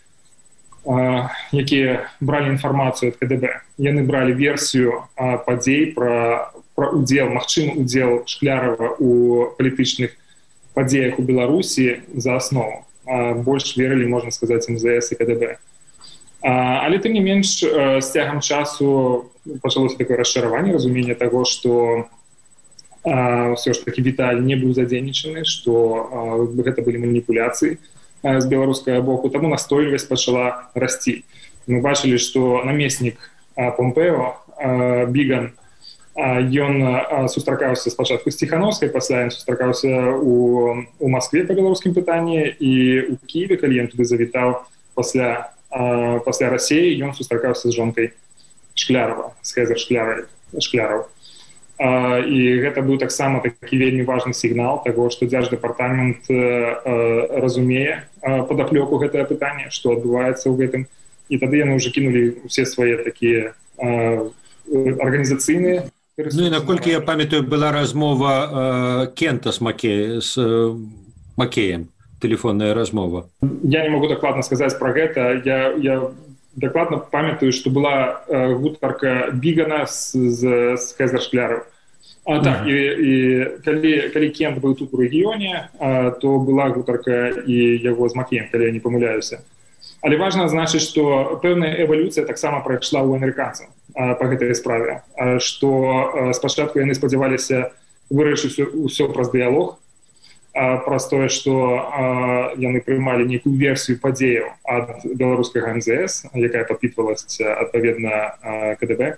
якія бралі інфармацыю ад ка дэ бэ. Яны бралі версію падзей пра, пра удзел, магчымы удзел Шклярова у палітычных падзеях у Беларусі за аснову. Больш верылі, можна сказаць, эм зэ эс і ка дэ бэ. Але тым не менш, з цягам часу пачалося такое расчараванне, разуменне таго, што ўсё ж такі Віталь не быў задзейнічаны, што гэта былі маніпуляцыі з беларускага боку, таму настойлівасць пачала расці. Мы бачылі, што намеснік Помпео, Біган, ён сустракаўся спачатку з Ціхановскай, пасля ён сустракаўся у, у Маскве па беларускім пытанні, і ў Кіеве, калі ён туды завітаў пасля, пасля Расіі, ён сустракаўся з жонкай Шклярова, з Хезер Шкляров. І гэта быў таксама такі вельмі важны сігнал таго, што дзярждэпартамент разумее падаплёку гэтае пытанне, што адбываецца ў гэтым, і тады яны ўжо кінулі ўсе свае такія арганізацыйныя. Ну і наколькі я памятаю, была размова э, Кента з Макеем, з э, Макеем, тэлефонная размова. Я не могу дакладна сказаць пра гэта. Я, я дакладна памятаю, што была э, гутарка Бігана з, з, з Хезер Шкляров. А так, mm-hmm. і, і калі, калі Кент быў тут у рэгіёне, а, то была гутарка і яго з Макеем, калі я не памыляюся. Але важна значыць, што пэўная эвалюцыя таксама прайшла ў амерыканцаў па гэтай справе, што спачатку яны спадзяваліся вырашыць усё праз дыялог, праз тое, што яны прымалі нейкую версію падзеяў ад беларускага эм зэ эс, якая падпітвалася адпаведна ка дэ бэ.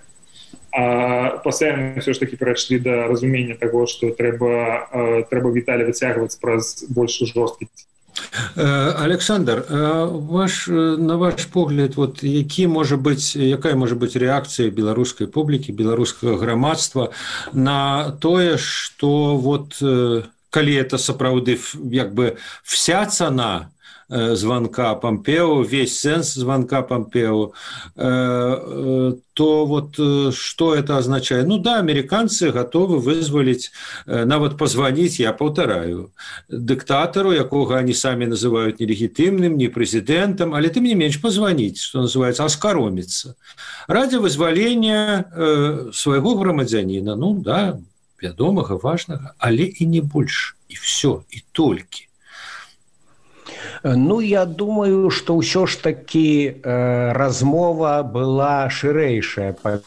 А пасля яны ўсё ж такі перайшлі да разумення таго, што трэба, трэба Віталя выцягваць праз больш жорсткі. Александр, ваш, на ваш погляд, вот, які можа быць, якая можа быць рэакцыя беларускай публікі, беларускага грамадства на тое, што вот, калі это сапраўды як бы вся цана звонка Помпео, весь сенс звонка Помпео, то вот что это означает? Ну да, американцы готовы вызволить, нават позвонить, я повторяю, диктатору, якога они сами называют нелегитимным, не президентом, але тем не меньше позвонить, что называется, оскоромиться. Ради вызволения своего громадянина, ну да, вядомага, важнага, але и не больше, и все, и только. Ну, я думаю, што ўсё ж такі э, размова была шырэйшая па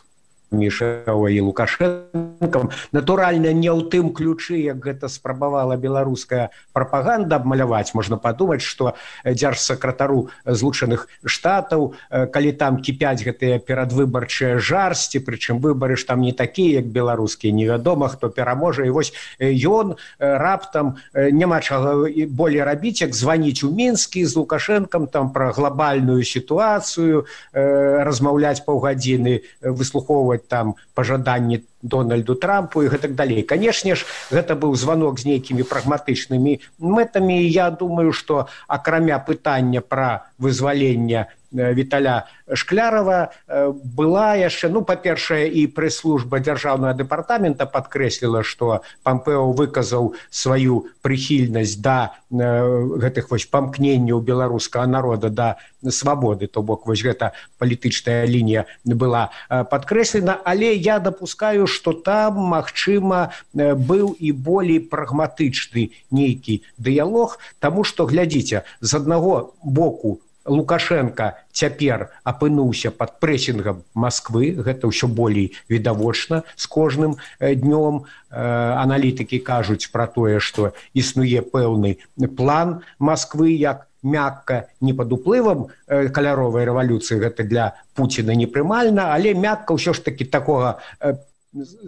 між і Лукашэнкам. Натуральна, не ў тым ключы, як гэта спрабавала беларуская прапаганда абмаляваць. Можна падумаць, што дзяржсакратару Злучаных Штатаў, калі там кіпяць гэтыя перадвыбарчыя жарсці, прычым выбары ж там не такія, як беларускія, невядома, хто пераможа. І вось ён раптам няма чаго болей рабіць, як званіць у Мінскі з Лукашэнкам там пра глобальную сітуацыю, размаўляць паўгадзіны, выслухоўваць там пажаданні Дональду Трампу і гэтак далей. Канешне ж, гэта быў званок з нейкімі прагматычнымі мэтамі. Я думаю, што акрамя пытання пра вызваленне Віталя Шклярова была яшчэ, ну, па-першае, і прэс-служба дзяржаўнага дэпартамента падкрэсліла, што Пампео выказаў сваю прыхільнасць да гэтых вось памкненняў беларускага народа да свабоды, то бок вось гэта палітычная лінія была падкрэслена, але я дапускаю, што там, магчыма, быў і болей прагматычны нейкі дыялог, таму што, глядзіце, з аднаго боку Лукашенко цяпер апынуўся пад прэсінгам Масквы, гэта ўсё болей відавочна з кожным днём. Аналітыкі кажуць пра тое, што існуе пэўны план Масквы, як мякка, не пад уплывам каляровай рэвалюцыі, гэта для Пуціна непрымальна, але мякка ўсё ж такі такога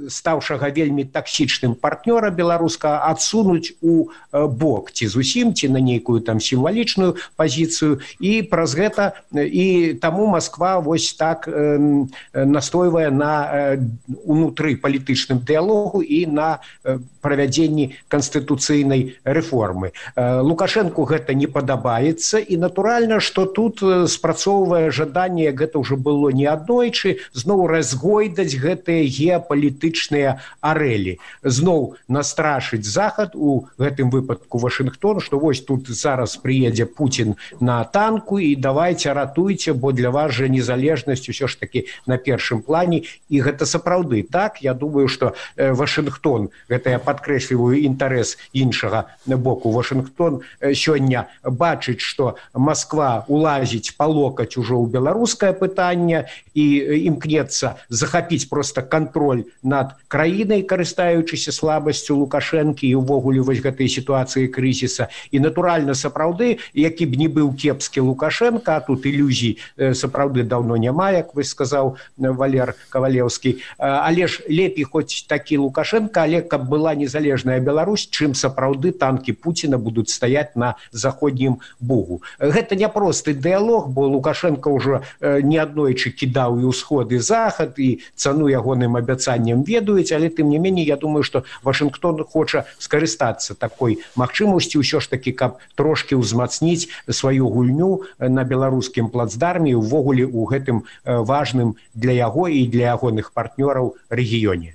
стаўшага вельмі таксічным партнёра беларуска адсунуць у бок, ці зусім, ці на нейкую там сімвалічную пазіцыю, і праз гэта і таму Масква вось так э, настойвае на э, унутры палітычным дыялогу і на э, правядзенні канстытуцыйнай рэформы. Э, Лукашэнку гэта не падабаецца, і натуральна, што тут спрацоўвае жаданне, гэта ўжо было неаднойчы, зноў разгойдаць гэтыя геапалітычныя палітычныя арэлі, зноў настрашыць захад, у гэтым выпадку Вашынгтон, што вось тут зараз прыедзе Пуцін на танку і давайце ратуйце, бо для вас жа незалежнасць усё ж такі на першым плане. І гэта сапраўды так. Я думаю, што Вашынгтон, гэта я падкрэсліваю інтарэс іншага боку, Вашынгтон сёння бачыць, што Масква улазіць па локаць ужо ў беларускае пытанне і імкнецца захапіць проста кантроль над краінай, карыстаючыся слабасцю Лукашэнкі і ўвогуле вось гэтай сітуацыі крызіса. І натуральна, сапраўды, які б не быў кепскі Лукашэнка, а тут ілюзій сапраўды даўно няма, як вы сказаў Валер Кавалеўскі, але ж лепей хоць такі Лукашэнка, але каб была незалежная Беларусь, чым сапраўды танкі Пуціна будуць стаяць на заходнім бугу. Гэта не просты дыялог, бо Лукашэнка ўжо неаднойчы кідаў і ўсход, і захад, і цану ягоным абяцанням ведаюць, але тым не меней, я думаю, што Вашынгтон хоча скарыстацца такой магчымасцю ўсё ж такі, каб трошкі ўзмацніць сваю гульню на беларускім плацдарме, увогуле ў гэтым важным для яго і для ягоных партнёраў рэгіёне.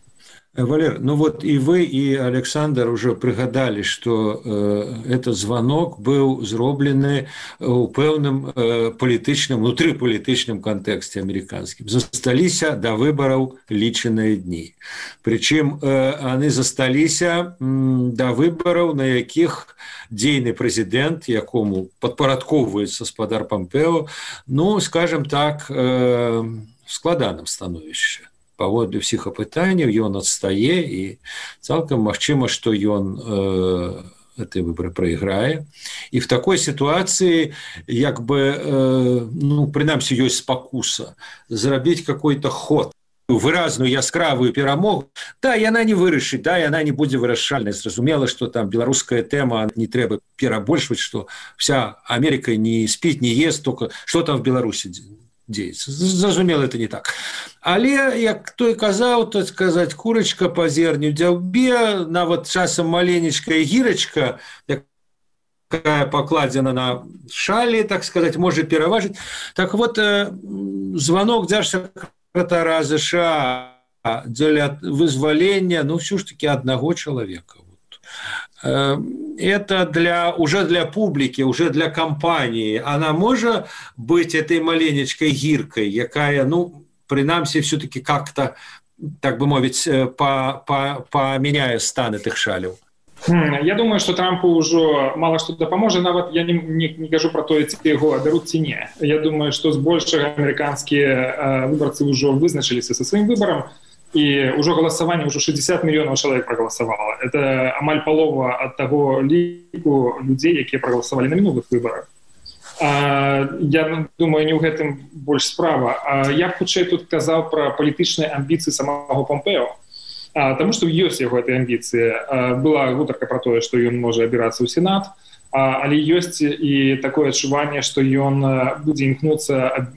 Валер, ну вот и вы, и Александр уже пригадали, что э, этот звонок был зроблены у пэўным э, палітычным, внутрипалітычным контексте американским. Засталіся до выборов лічаныя дни. Причем э, они засталіся м, до выборов, на якіх дзейны президент, якому подпарадковывается спадар Пампео, ну, скажем так, э, в складаным становішчы. Паводле ўсіх апытанняў ён адстае, і цалкам магчыма, што ён э, гэты выбары прайграе. І в такой сітуацыі, як бы, э, ну, прынамсі, ёсць спакуса зрабіць какой-то ход, выразную яскравую перамогу. Да, яна не вырашыць, да, яна не будзе вырашальнай. Зразумела, што там беларуская тэма, не трэба перабольшваць, што вся Америка не спіць, не ест, только што там в Беларусі дзеецца. Зразумела, это не так. Але, як той казаў, то сказаць, курачка па зерню дзяўбе, нават часам маленечкая гірачка, якая пакладзена на шалі, так сказаць, можа пераважыць. Так вот, звонок дзяржсакратара США дзеля вызвалення, ну, ўсё ж таки аднаго чалавека. Это для, уже для публики, уже для компании. Она может быть этой маленечкой гиркой, якая, ну, принамсі, все-таки как-то, так бы мовить, по, по, поменяет стан этих шалев. Я думаю, что Трампу уже мало что допоможет. Нават я не, не, не кажу про то, ці его берут, ці не. Я думаю, что с большего американские э, выборцы уже вызначились со своим выбором, и уже голосование, уже шестьдесят миллионов человек проголосовало. Это амаль полова от того лику людей, которые проголосовали на минулых выборах. А, я думаю, не ў гэтым больш справа. А, я б хутчэй тут казаў про палітычныя амбіцыі самого Помпео. А, тому что ёсць яго этой амбіцыі. А, была гутарка про тое, што ён можа абірацца ў Сенат, а, але ёсць і такое адчуванне, што ён будзе імкнуцца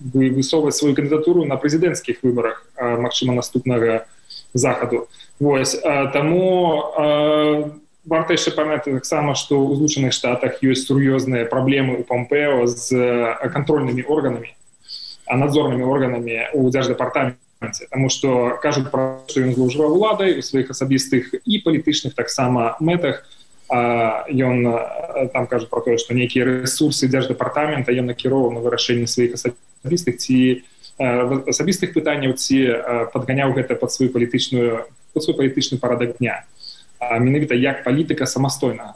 высовваць сваю кандыдатуру на прэзідэнцкіх выбарах, а, магчыма, наступнага захаду. Вось. А, таму а, варта яшчэ памятаць таксама, што ў Злучаных Штатах ёсць сур'ёзныя праблемы ў Помпео з кантрольнымі органамі, надзорнымі органамі ў дзярждэпартаменце. Потому что кажут про то, что он злоўжываў уладай у своих асабістых и палітычных таксама мэтах. Он там кажет про то, что некие ресурсы дзярждэпартамента ён накіроўваў на вырашэнне своих асабістых ці асабістых пытанняў, ці падганяў гэта под свою палітычную под свой палітычны парадак дня. Менавіта як палітыка самастойнага.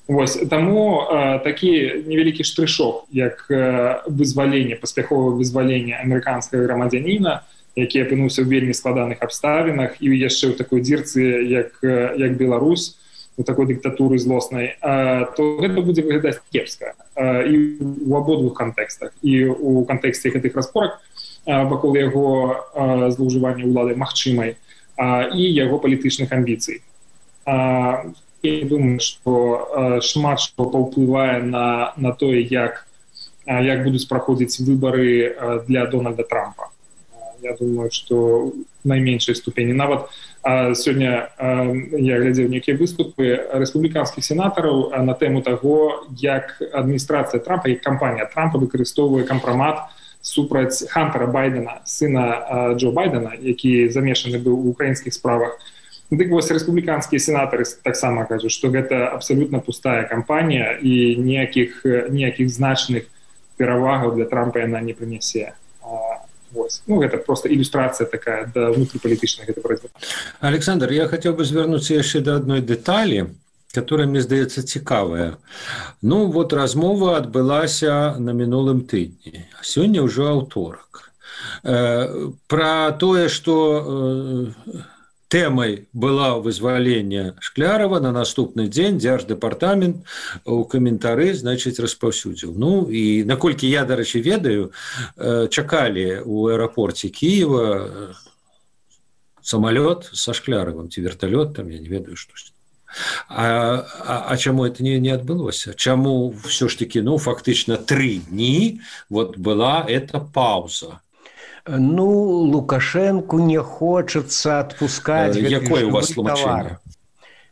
Вось, таму э, такі невялікі штрышок, як э, вызваленне, паспяховае вызваленне амерыканскага грамадзяніна, які апынуўся ў вельмі складаных абставінах і яшчэ ў такой дзірцы, як, як Беларусь, у такой дыктатуры злоснай, э, то гэта будзе выглядаць кепска. Э, і ў абодвух кантэкстах. І ў кантэксце гэтых распорак э, вакол яго э, злоўжывання ўладай магчымай, э, і яго палітычных амбіцый. Э, Я думаю, што э, шмат што паўплывае на, на тое, як, э, як будуць праходзіць выбары э, для Дональда Трампа. Э, я думаю, што в найменшай ступені. Нават э, сёння э, я глядзеў нейкія выступы рэспубліканскіх сенатараў э, на тэму таго, як адміністрацыя Трампа, як кампанія Трампа выкарыстоўвае кампрамат супраць Хантера Байдена, сына э, Джо Байдена, які замешаны быў у украінскіх справах. Дык вось рэспубліканскія сенатары таксама кажуць, што гэта абсалютна пустая кампанія і ніякіх ніякіх значных перавагаў для Трампа яна не прынясе. Вось. Ну, гэта просто ілюстрацыя такая да внутрипалітычнага гэта працэсу. Александр, я хацеў бы звярнуцца яшчэ да адной дэталі, которая мне здаецца цікавая. Ну, вот размова адбылася на мінулым тыдні. Сёння ўжо аўторак. Э, пра тое, што э, тэмай была вызвалення Шклярова, на наступны дзень дзярждэпартамент у каментары, значыць, распаўсюдзіў. Ну, і наколькі я, дарэчы, ведаю, чакалі ў аэрапорце Кіева самалёт са Шкляровым, ці верталёт, там, я не ведаю, штось. А, а, а чаму это не, не адбылося? Чаму ўсё ж такі, ну, фактычна тры дні вот была эта пауза? Ну, Лукашенку не хочется отпускать Якое у вас товар.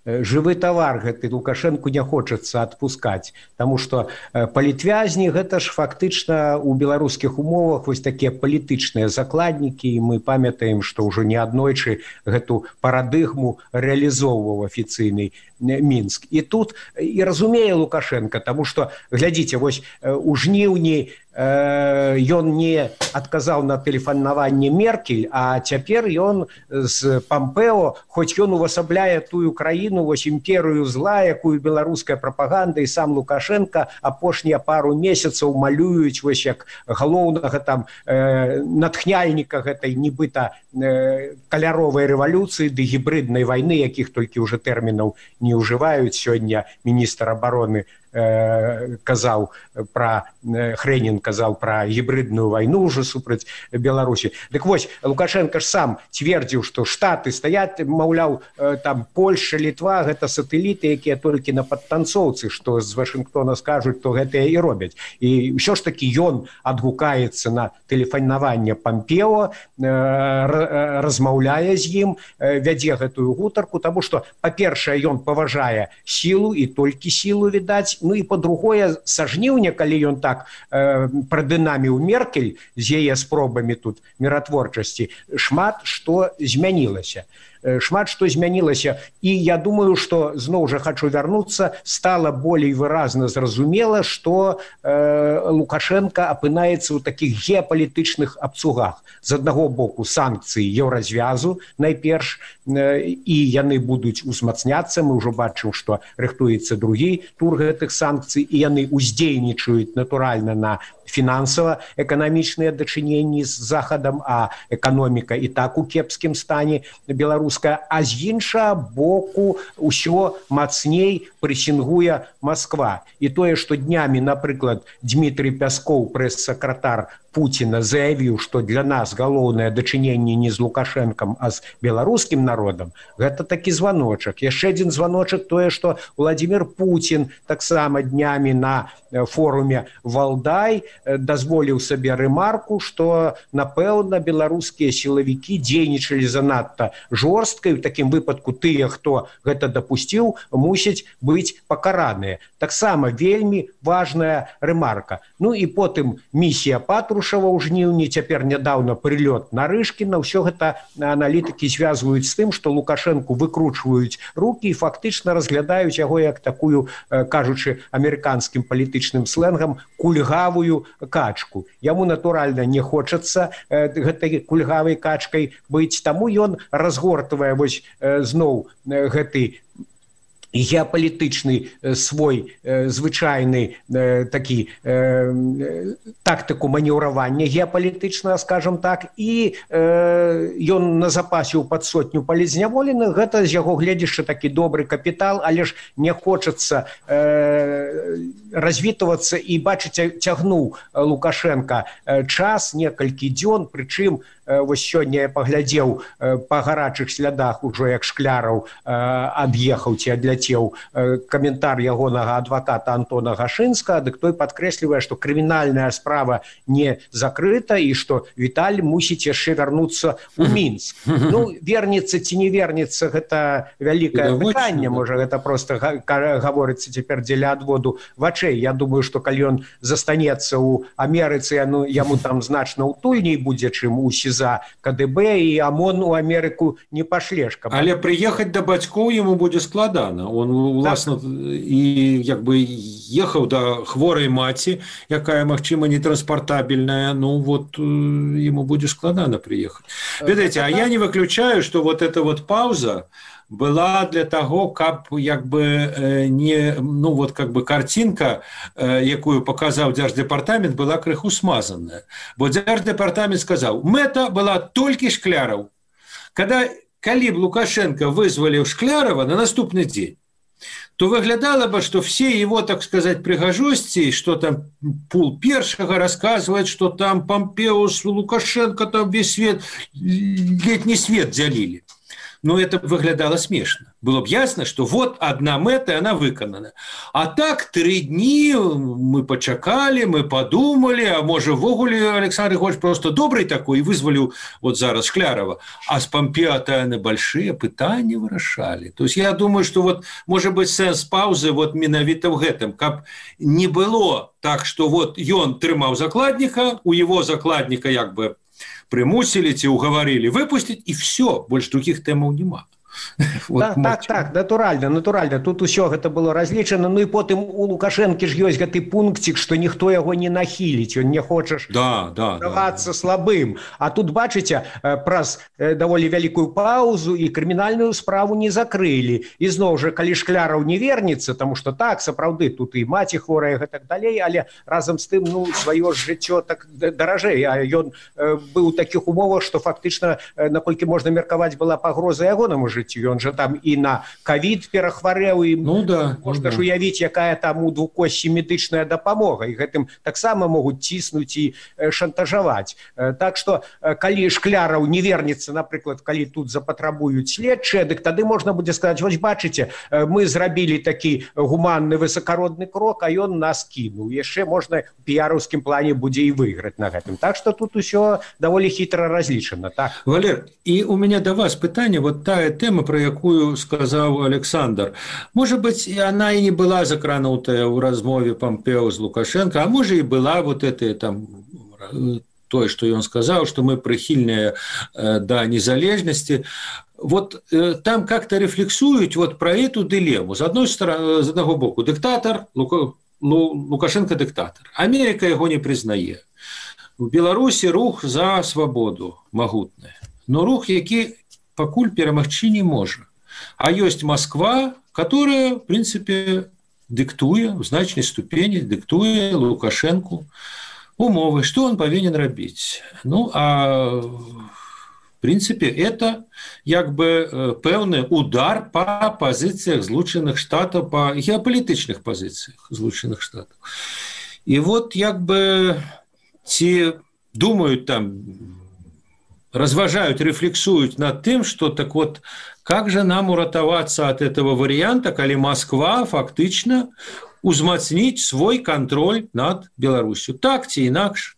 Жывы тавар гэты Лукашенку не хочется отпускать, потому что палітвязні гэта ж фактычна у беларускіх умовах вось такія палітычныя закладнікі, і мы памятаем, што ўжо неаднойчы гэту парадыгму реалізоўваў афіцыйны Мінск. І тут і разумее Лукашенко, тому что глядзіце, вось у жніўні ён не адказаў на тэлефанаванне Меркель, а цяпер ён з Помпео, хоць ён увасабляе тую краіну, вось імперыю зла, якую беларуская прапаганда і сам Лукашенко апошнія пару месяцаў малююць вось як галоўнага там э, натхняльніка гэтай нібыта э, каляровай рэвалюцыі ды гібрыднай вайны, якіх толькі ўжо тэрмінаў не ўжываюць. Сёння міністр абароны казаў пра Хрэнін казаў пра гібрыдную вайну ўжо супраць Беларусі. Дык вось Лукашенко ж сам цвердзіў, што штаты стаяць, маўляў, там Польша, Літва гэта сатэліты, якія толькі на падтанцоўцы, што з Вашынгтона скажуць, то гэтыя і робяць. І ўсё ж такі ён адгукаецца на тэлефанаванне Помпео, размаўляе з ім, вядзе гэтую гутарку, таму што, па-першае, ён паважае сілу і толькі сілу відаць. Ну і па-другое, са жніўня, калі ён так э, прадынаміў Меркель з яе спробамі тут міратворчасці, шмат што змянілася. шмат што змянілася. І я думаю, што зноў жа хочу вярнуцца, стала болей выразна зразумела, што э, Лукашенко апынаецца ў такіх геапалітычных абцугах. З аднаго боку санкцыі еўразвязу найперш, э, і яны будуць узмацняцца. Мы ўжо бачым, што рыхтуецца другі тур гэтых санкцый, і яны уздзейнічаюць натуральна на фінансава-эканамічныя дачыненні з захадам, а эканоміка і так у кепскім стане беларуская, а з іншага боку ўсё мацней прэсінгуе Москва. І тое, што днямі, напрыклад, Дмітрий Пяскоў, прэс-сакратар Путина, заявіў, што для нас галоўнае дачыненне не з Лукашэнкам, а з беларускім народам, гэта такі званочак. Яшчэ адзін званочак тое, што Владимир Путин таксама днямі на форуме Валдай дазволіў сабе рэмарку, што, напэўна, беларускія сілавікі дзейнічалі занадта жорстка, і ў такім выпадку тыя, хто гэта дапусціў, мусяць быць пакараныя. Таксама вельмі важная рэмарка. Ну і потым місія Патрушева ў жніўні, цяпер нядаўна прылёт на Рышкіна. Ўсё гэта аналітыкі звязваюць з тым, што Лукашэнку выкручваюць рукі і фактычна разглядаюць яго як такую, кажучы амерыканскім палітычным сленгам, кульгавую качку. Яму, натуральна, не хочацца э, гэтай кульгавай качкай быць, таму ён разгортвае вось э, зноў э, гэты геапалітычны свой э, звычайны э, такі э, тактыку манеўравання геапалітычнага, скажем так, і э, ён назапасіў пад сотню палізняволеных. Гэта з яго гледзячы такі добры капітал, але ж не хочацца э, развітвацца, і бачыце, цягнуў Лукашенко час, некалькі дзён, прычым вось сёння я паглядзеў па гарачых слядах ужо, як Шкляраў ад'ехаў ці адляцеў, каментар ягонага адваката Антона Гашынскага, дык той падкрэслівае, што крымінальная справа не закрыта і што Віталь мусіць яшчэ вярнуцца ў Мінск. Ну, вернецца ці не вернецца, гэта вялікае пытанне, можа, гэта проста гаворыцца цяпер дзеля адводу вачэй. Я думаю, што калі ён застанецца ў Амерыцы, ну, яму там значна утульней будзе, чым у СІЗА за КДБ, і ОМОН у Амерыку не пашлеш. Каб... Але прыехаць да бацькоў яму будзе складана. Он, уласна, так. І як бы ехаў да хворай маці, якая, магчыма, нетранспартабельная, ну вот ему будзе складана прыехаць. Ведаеце, а я не выключаю, што вот эта вот пауза была для того, каб як бы не, ну вот как бы картинка, якую показаў Дзярждэпартамент, была крыху смазанная. Бо Дзярждэпартамент сказаў, мэта была толькі Шкляраў. Когда, калі б Лукашенко вызваліў Шклярова на наступны дзень, то выглядало бы, что все его, так сказать, пригожости, что там Пул Першага рассказывает, что там Помпео с Лукашенко, там весь свет, летний свет делили. Но это выглядало смешно. Было бы ясно, что вот одна мета, и она выконана. А так три дни мы почакали, мы подумали, а может, вогуле Александр Григорьевич просто добрый такой, и вызвали вот зараз Шклярова. А с Помпео-то они большие пытания вырашали. То есть я думаю, что вот, может быть, сенс паузы вот менавіта в гэтым, каб не было так, что вот ён трымаў закладника, у его закладника як бы примусили, ці уговорили выпустить, и все, больше других темаў нема. Вот так, так, так, натуральна, натуральна. Тут усё гэта было разлічана. Ну і потым у Лукашэнкі ж ёсць гэты пункцік, што ніхто яго не нахіліць. Ён не хочаш да, да, здавацца да, слабым. А тут, бачыце, праз даволі вялікую паузу і крымінальную справу не закрылі. І зноў жа, калі Шкляраў не вернецца, таму што так, сапраўды, тут і маці хворая, гэтак далей, але разам з тым, ну, сваё жыццё так даражэй. А ён быў у такіх умовах, што фактычна, наколькі можна меркаваць, была пагроза ягонаму жыццю. Ён жа там і на ковід перахварэў, і ну, да, можна ну, ж уявіць, якая там у двукосці медычная дапамога, і гэтым таксама могуць ціснуць і шантажаваць. Так што, калі Шкляраў не вернецца, напрыклад, калі тут запатрабуюць следчыя, дык тады можна будзе сказаць, вось бачыце, мы зрабілі такі гуманны высакародны крок, а ён нас кінуў. Яшчэ можна у піяраўскім плане будзе і выйграць на гэтым. Так што тут усё даволі хітра разлічана. Так? Валер, і у меня да вас пытанне, вот тая тэма, про якую сказаў Александр. Может быть, она и не была закранутая ў размове Помпео з Лукашенко, а может и была вот это там тое, што ён сказаў, што мы прыхільныя да незалежнасці. вот э, там как-то рефлексуют вот про эту дилемму. С одной стороны, с одного боку, диктатор, Лука, Лу, Лукашенко диктатор. Америка его не признает. В Беларуси рух за свободу могутный. Но рух, який покуль перемагчи не может. А есть Москва, которая, в принципе, диктует, в значной ступени диктует Лукашенку умовы, что он повинен робить. Ну, а в принципе, это як бы певный удар по позициях Злучених Штатов, по геополитичных позициях Злучених Штатов. И вот як бы те думают там, разважают, рефлексуют над тем, что так вот, как же нам уратоваться от этого варианта, когда Москва фактично узмацнить свой контроль над Беларусью. Так ці інакш.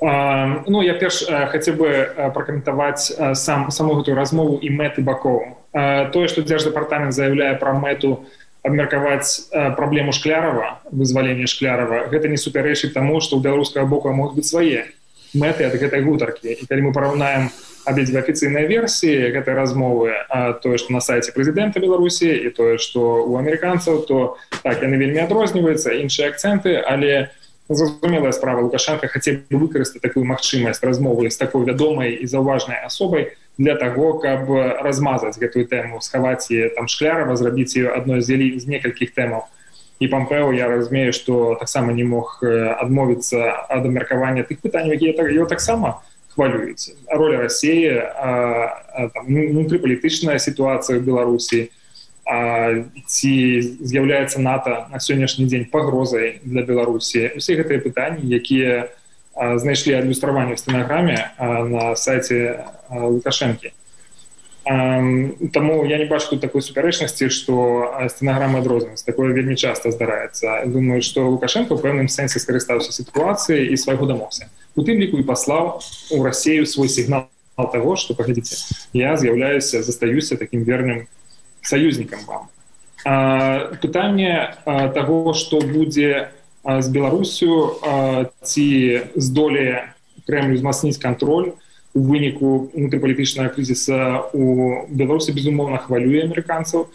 Uh, ну, я перш uh, хацеў бы uh, пракаментаваць uh, сам, саму гэтую размову і мэты бакоў. Uh, тое, што Дзярждэпартамент заяўляе пра мэту абмеркаваць uh, праблему Шклярова, вызвалення Шклярова, гэта не супярэчыць таму, што ў беларускага боку могуць быць свае мэты ад гэтай гутаркі. І калі мы параўнаем абедзве афіцыйныя версіі гэтай размовы, uh, тое, што на сайце прэзідэнта Беларусі і тое, што ў амерыканцаў, то так, яны вельмі адрозніваюцца, іншыя акцэнты, але зразумелая справа, Лукашенко хацеў бы выкарыстаць такую магчымасць размовы з такой вядомай і заўважнай асобай для таго, каб размазаць гэтую тэму, схаваць яе там Шклярова, зрабіць ее адной з, з некалькіх тэмаў. І Помпео, я разумею, што таксама не мог адмовіцца ад абмеркавання тых пытанняў, якія его таксама хвалююць. Роля Расіі, внутрыпалітычная сітуацыя ў Беларусі, А, ці з'яўляецца НАТО на сённяшні дзень пагрозай для Беларусі. Усе гэтыя пытанні, якія а, знайшлі адлюстраванне ў стэнаграме а, на сайце а, Лукашэнкі. А, таму я не бачу тут такой супярэчнасці, што стэнаграмы адрозніваюцца. Такое вельмі часта здараецца. Думаю, што Лукашенко ў пэўным сэнсе скарыстаўся сітуацыяй і свайго дамогся. У тым ліку і паслаў у Расію свой сігнал таго, што, паглядзіце, я з'яўляюся, застаюся такім верным союзнікам вам. А, пытанне а, таго, што будзе а, з Беларусю, а, ці здолее Кремль узмацніць кантроль у выніку внутрыпалітычнага крызіса у Беларусі, безумоўна, хвалюе амерыканцаў.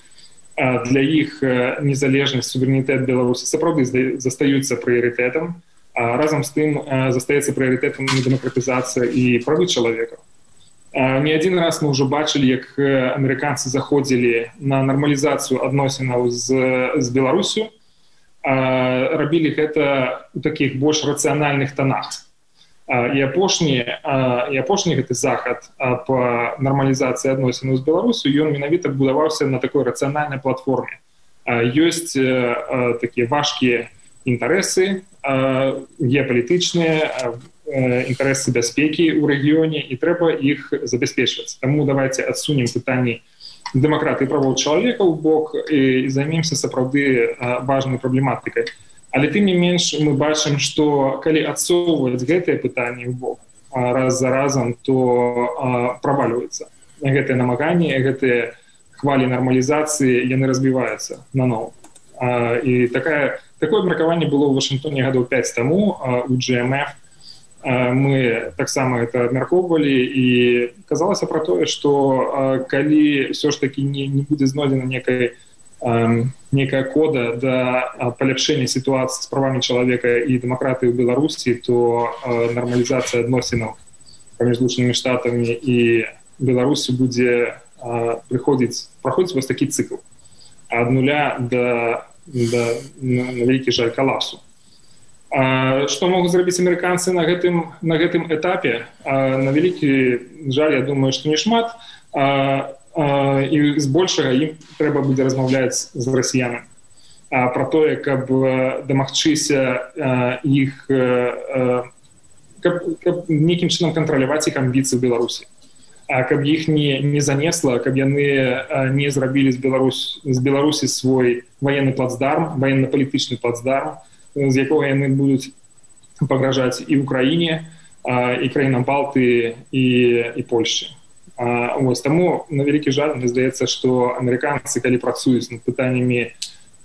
А, для іх незалежнасць, суверэнітэт Беларусі сапраўды застаюцца прыярытэтам, а разам з тым а, застаецца прыярытэтам дэмакратызацыя і правы чалавека. Не адзін раз мы ўжо бачылі, як амерыканцы заходзілі на нармалізацыю адносінаў з, з Беларусю, рабілі гэта ў такіх больш рацыянальных тонах. І апошні, і апошні гэты захад па нармалізацыі адносінаў з Беларусю, ён менавіта будаваўся на такой рацыянальнай платформе. Ёсць такія важкія інтарэсы геапалітычныя, інтарэсы бяспекі ў рэгіёне, і трэба іх забяспечваць. Таму давайте адсунем пытанні дэмакратыі і правоў чалавека ў бок і займемся сапраўды важнай праблематыкай. Але тым не менш мы бачым, што калі адсоўваць гэтыя пытанні ў бок раз за разам, то правальваецца. Гэтыя намаганні, гэтыя хвалі нармалізацыі, яны разбіваюцца наноў. І такая, такое абмеркаванне было ў Вашынгтоне гадоў пяць таму у джи эм эф. Мы таксама это абмяркоўвалі і казалася пра тое, што калі ўсё ж такі не, не будзе знойдзена некая, некая кода да паляпшэння сітуацыі з правамі чалавека і дэмакратыі ў Беларусі, то нармалізацыя адносінаў паміж Злучанымі Штатамі і Беларусі будзе прыходзіць, праходзіць вось такі цыкл ад нуля да, да на, на вялікі жаль калапсу. А, што могуць зрабіць амерыканцы на гэтым, на гэтым этапе? А, на вялікі жаль, я думаю, што не шмат. А, а, і збольшага ім трэба будзе размаўляць з расіянамі а, пра тое, каб дамагчыся а, іх, а, каб, каб нейкім чынам кантраляваць іх амбіцыі ў Беларусі. А, каб іх не, не занесла, каб яны а, не зрабілі з, Беларусь, з Беларусі свой военны плацдарм, военно-палітычны плацдарм, з якога яны будуць пагражаць і ўкраіне, і краінам Балтыі, і, і Польшчы. Ось, таму, на вялікі жаль, мне здаецца, што амерыканцы, калі працуюць над пытаннямі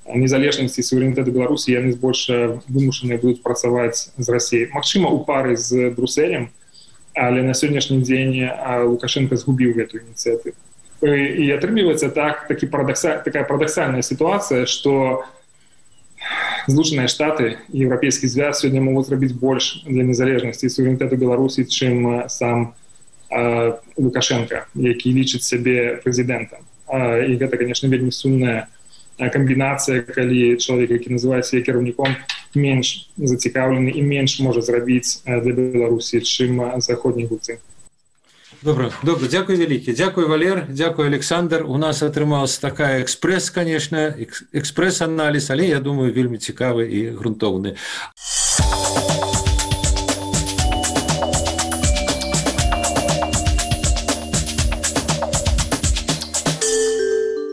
незалежнасці і суверэнітэту Беларусі, яны збольша вымушаныя будуць працаваць з Расіяй. Магчыма, у пары з Брусэлем, але на сённяшні дзень Лукашенко згубіў гэтую ініцыятыву. и атрымліваецца так, такі парадокса, такая парадоксальная ситуация, что Злучаныя Штаты и Европейский Союз сегодня могут зрабіць больше для незалежности и суверенитета Беларуси, чем сам э, Лукашенко, які лічыць сябе президентом. Э, и это, конечно, вельмі сумная комбинация, калі человек, які называет себя кіраўніком, меньш зацікаўлены и меньш может зрабіць для Беларуси, чем заходние гульцы. Добра, добра, дзякуй вялікі. Дзякуй, Валер, дзякуй, Александр. У нас атрымалась такая экспрэс, конечно, экспрэс-аналіз, але, я думаю, вельмі цікавы і грунтоўны.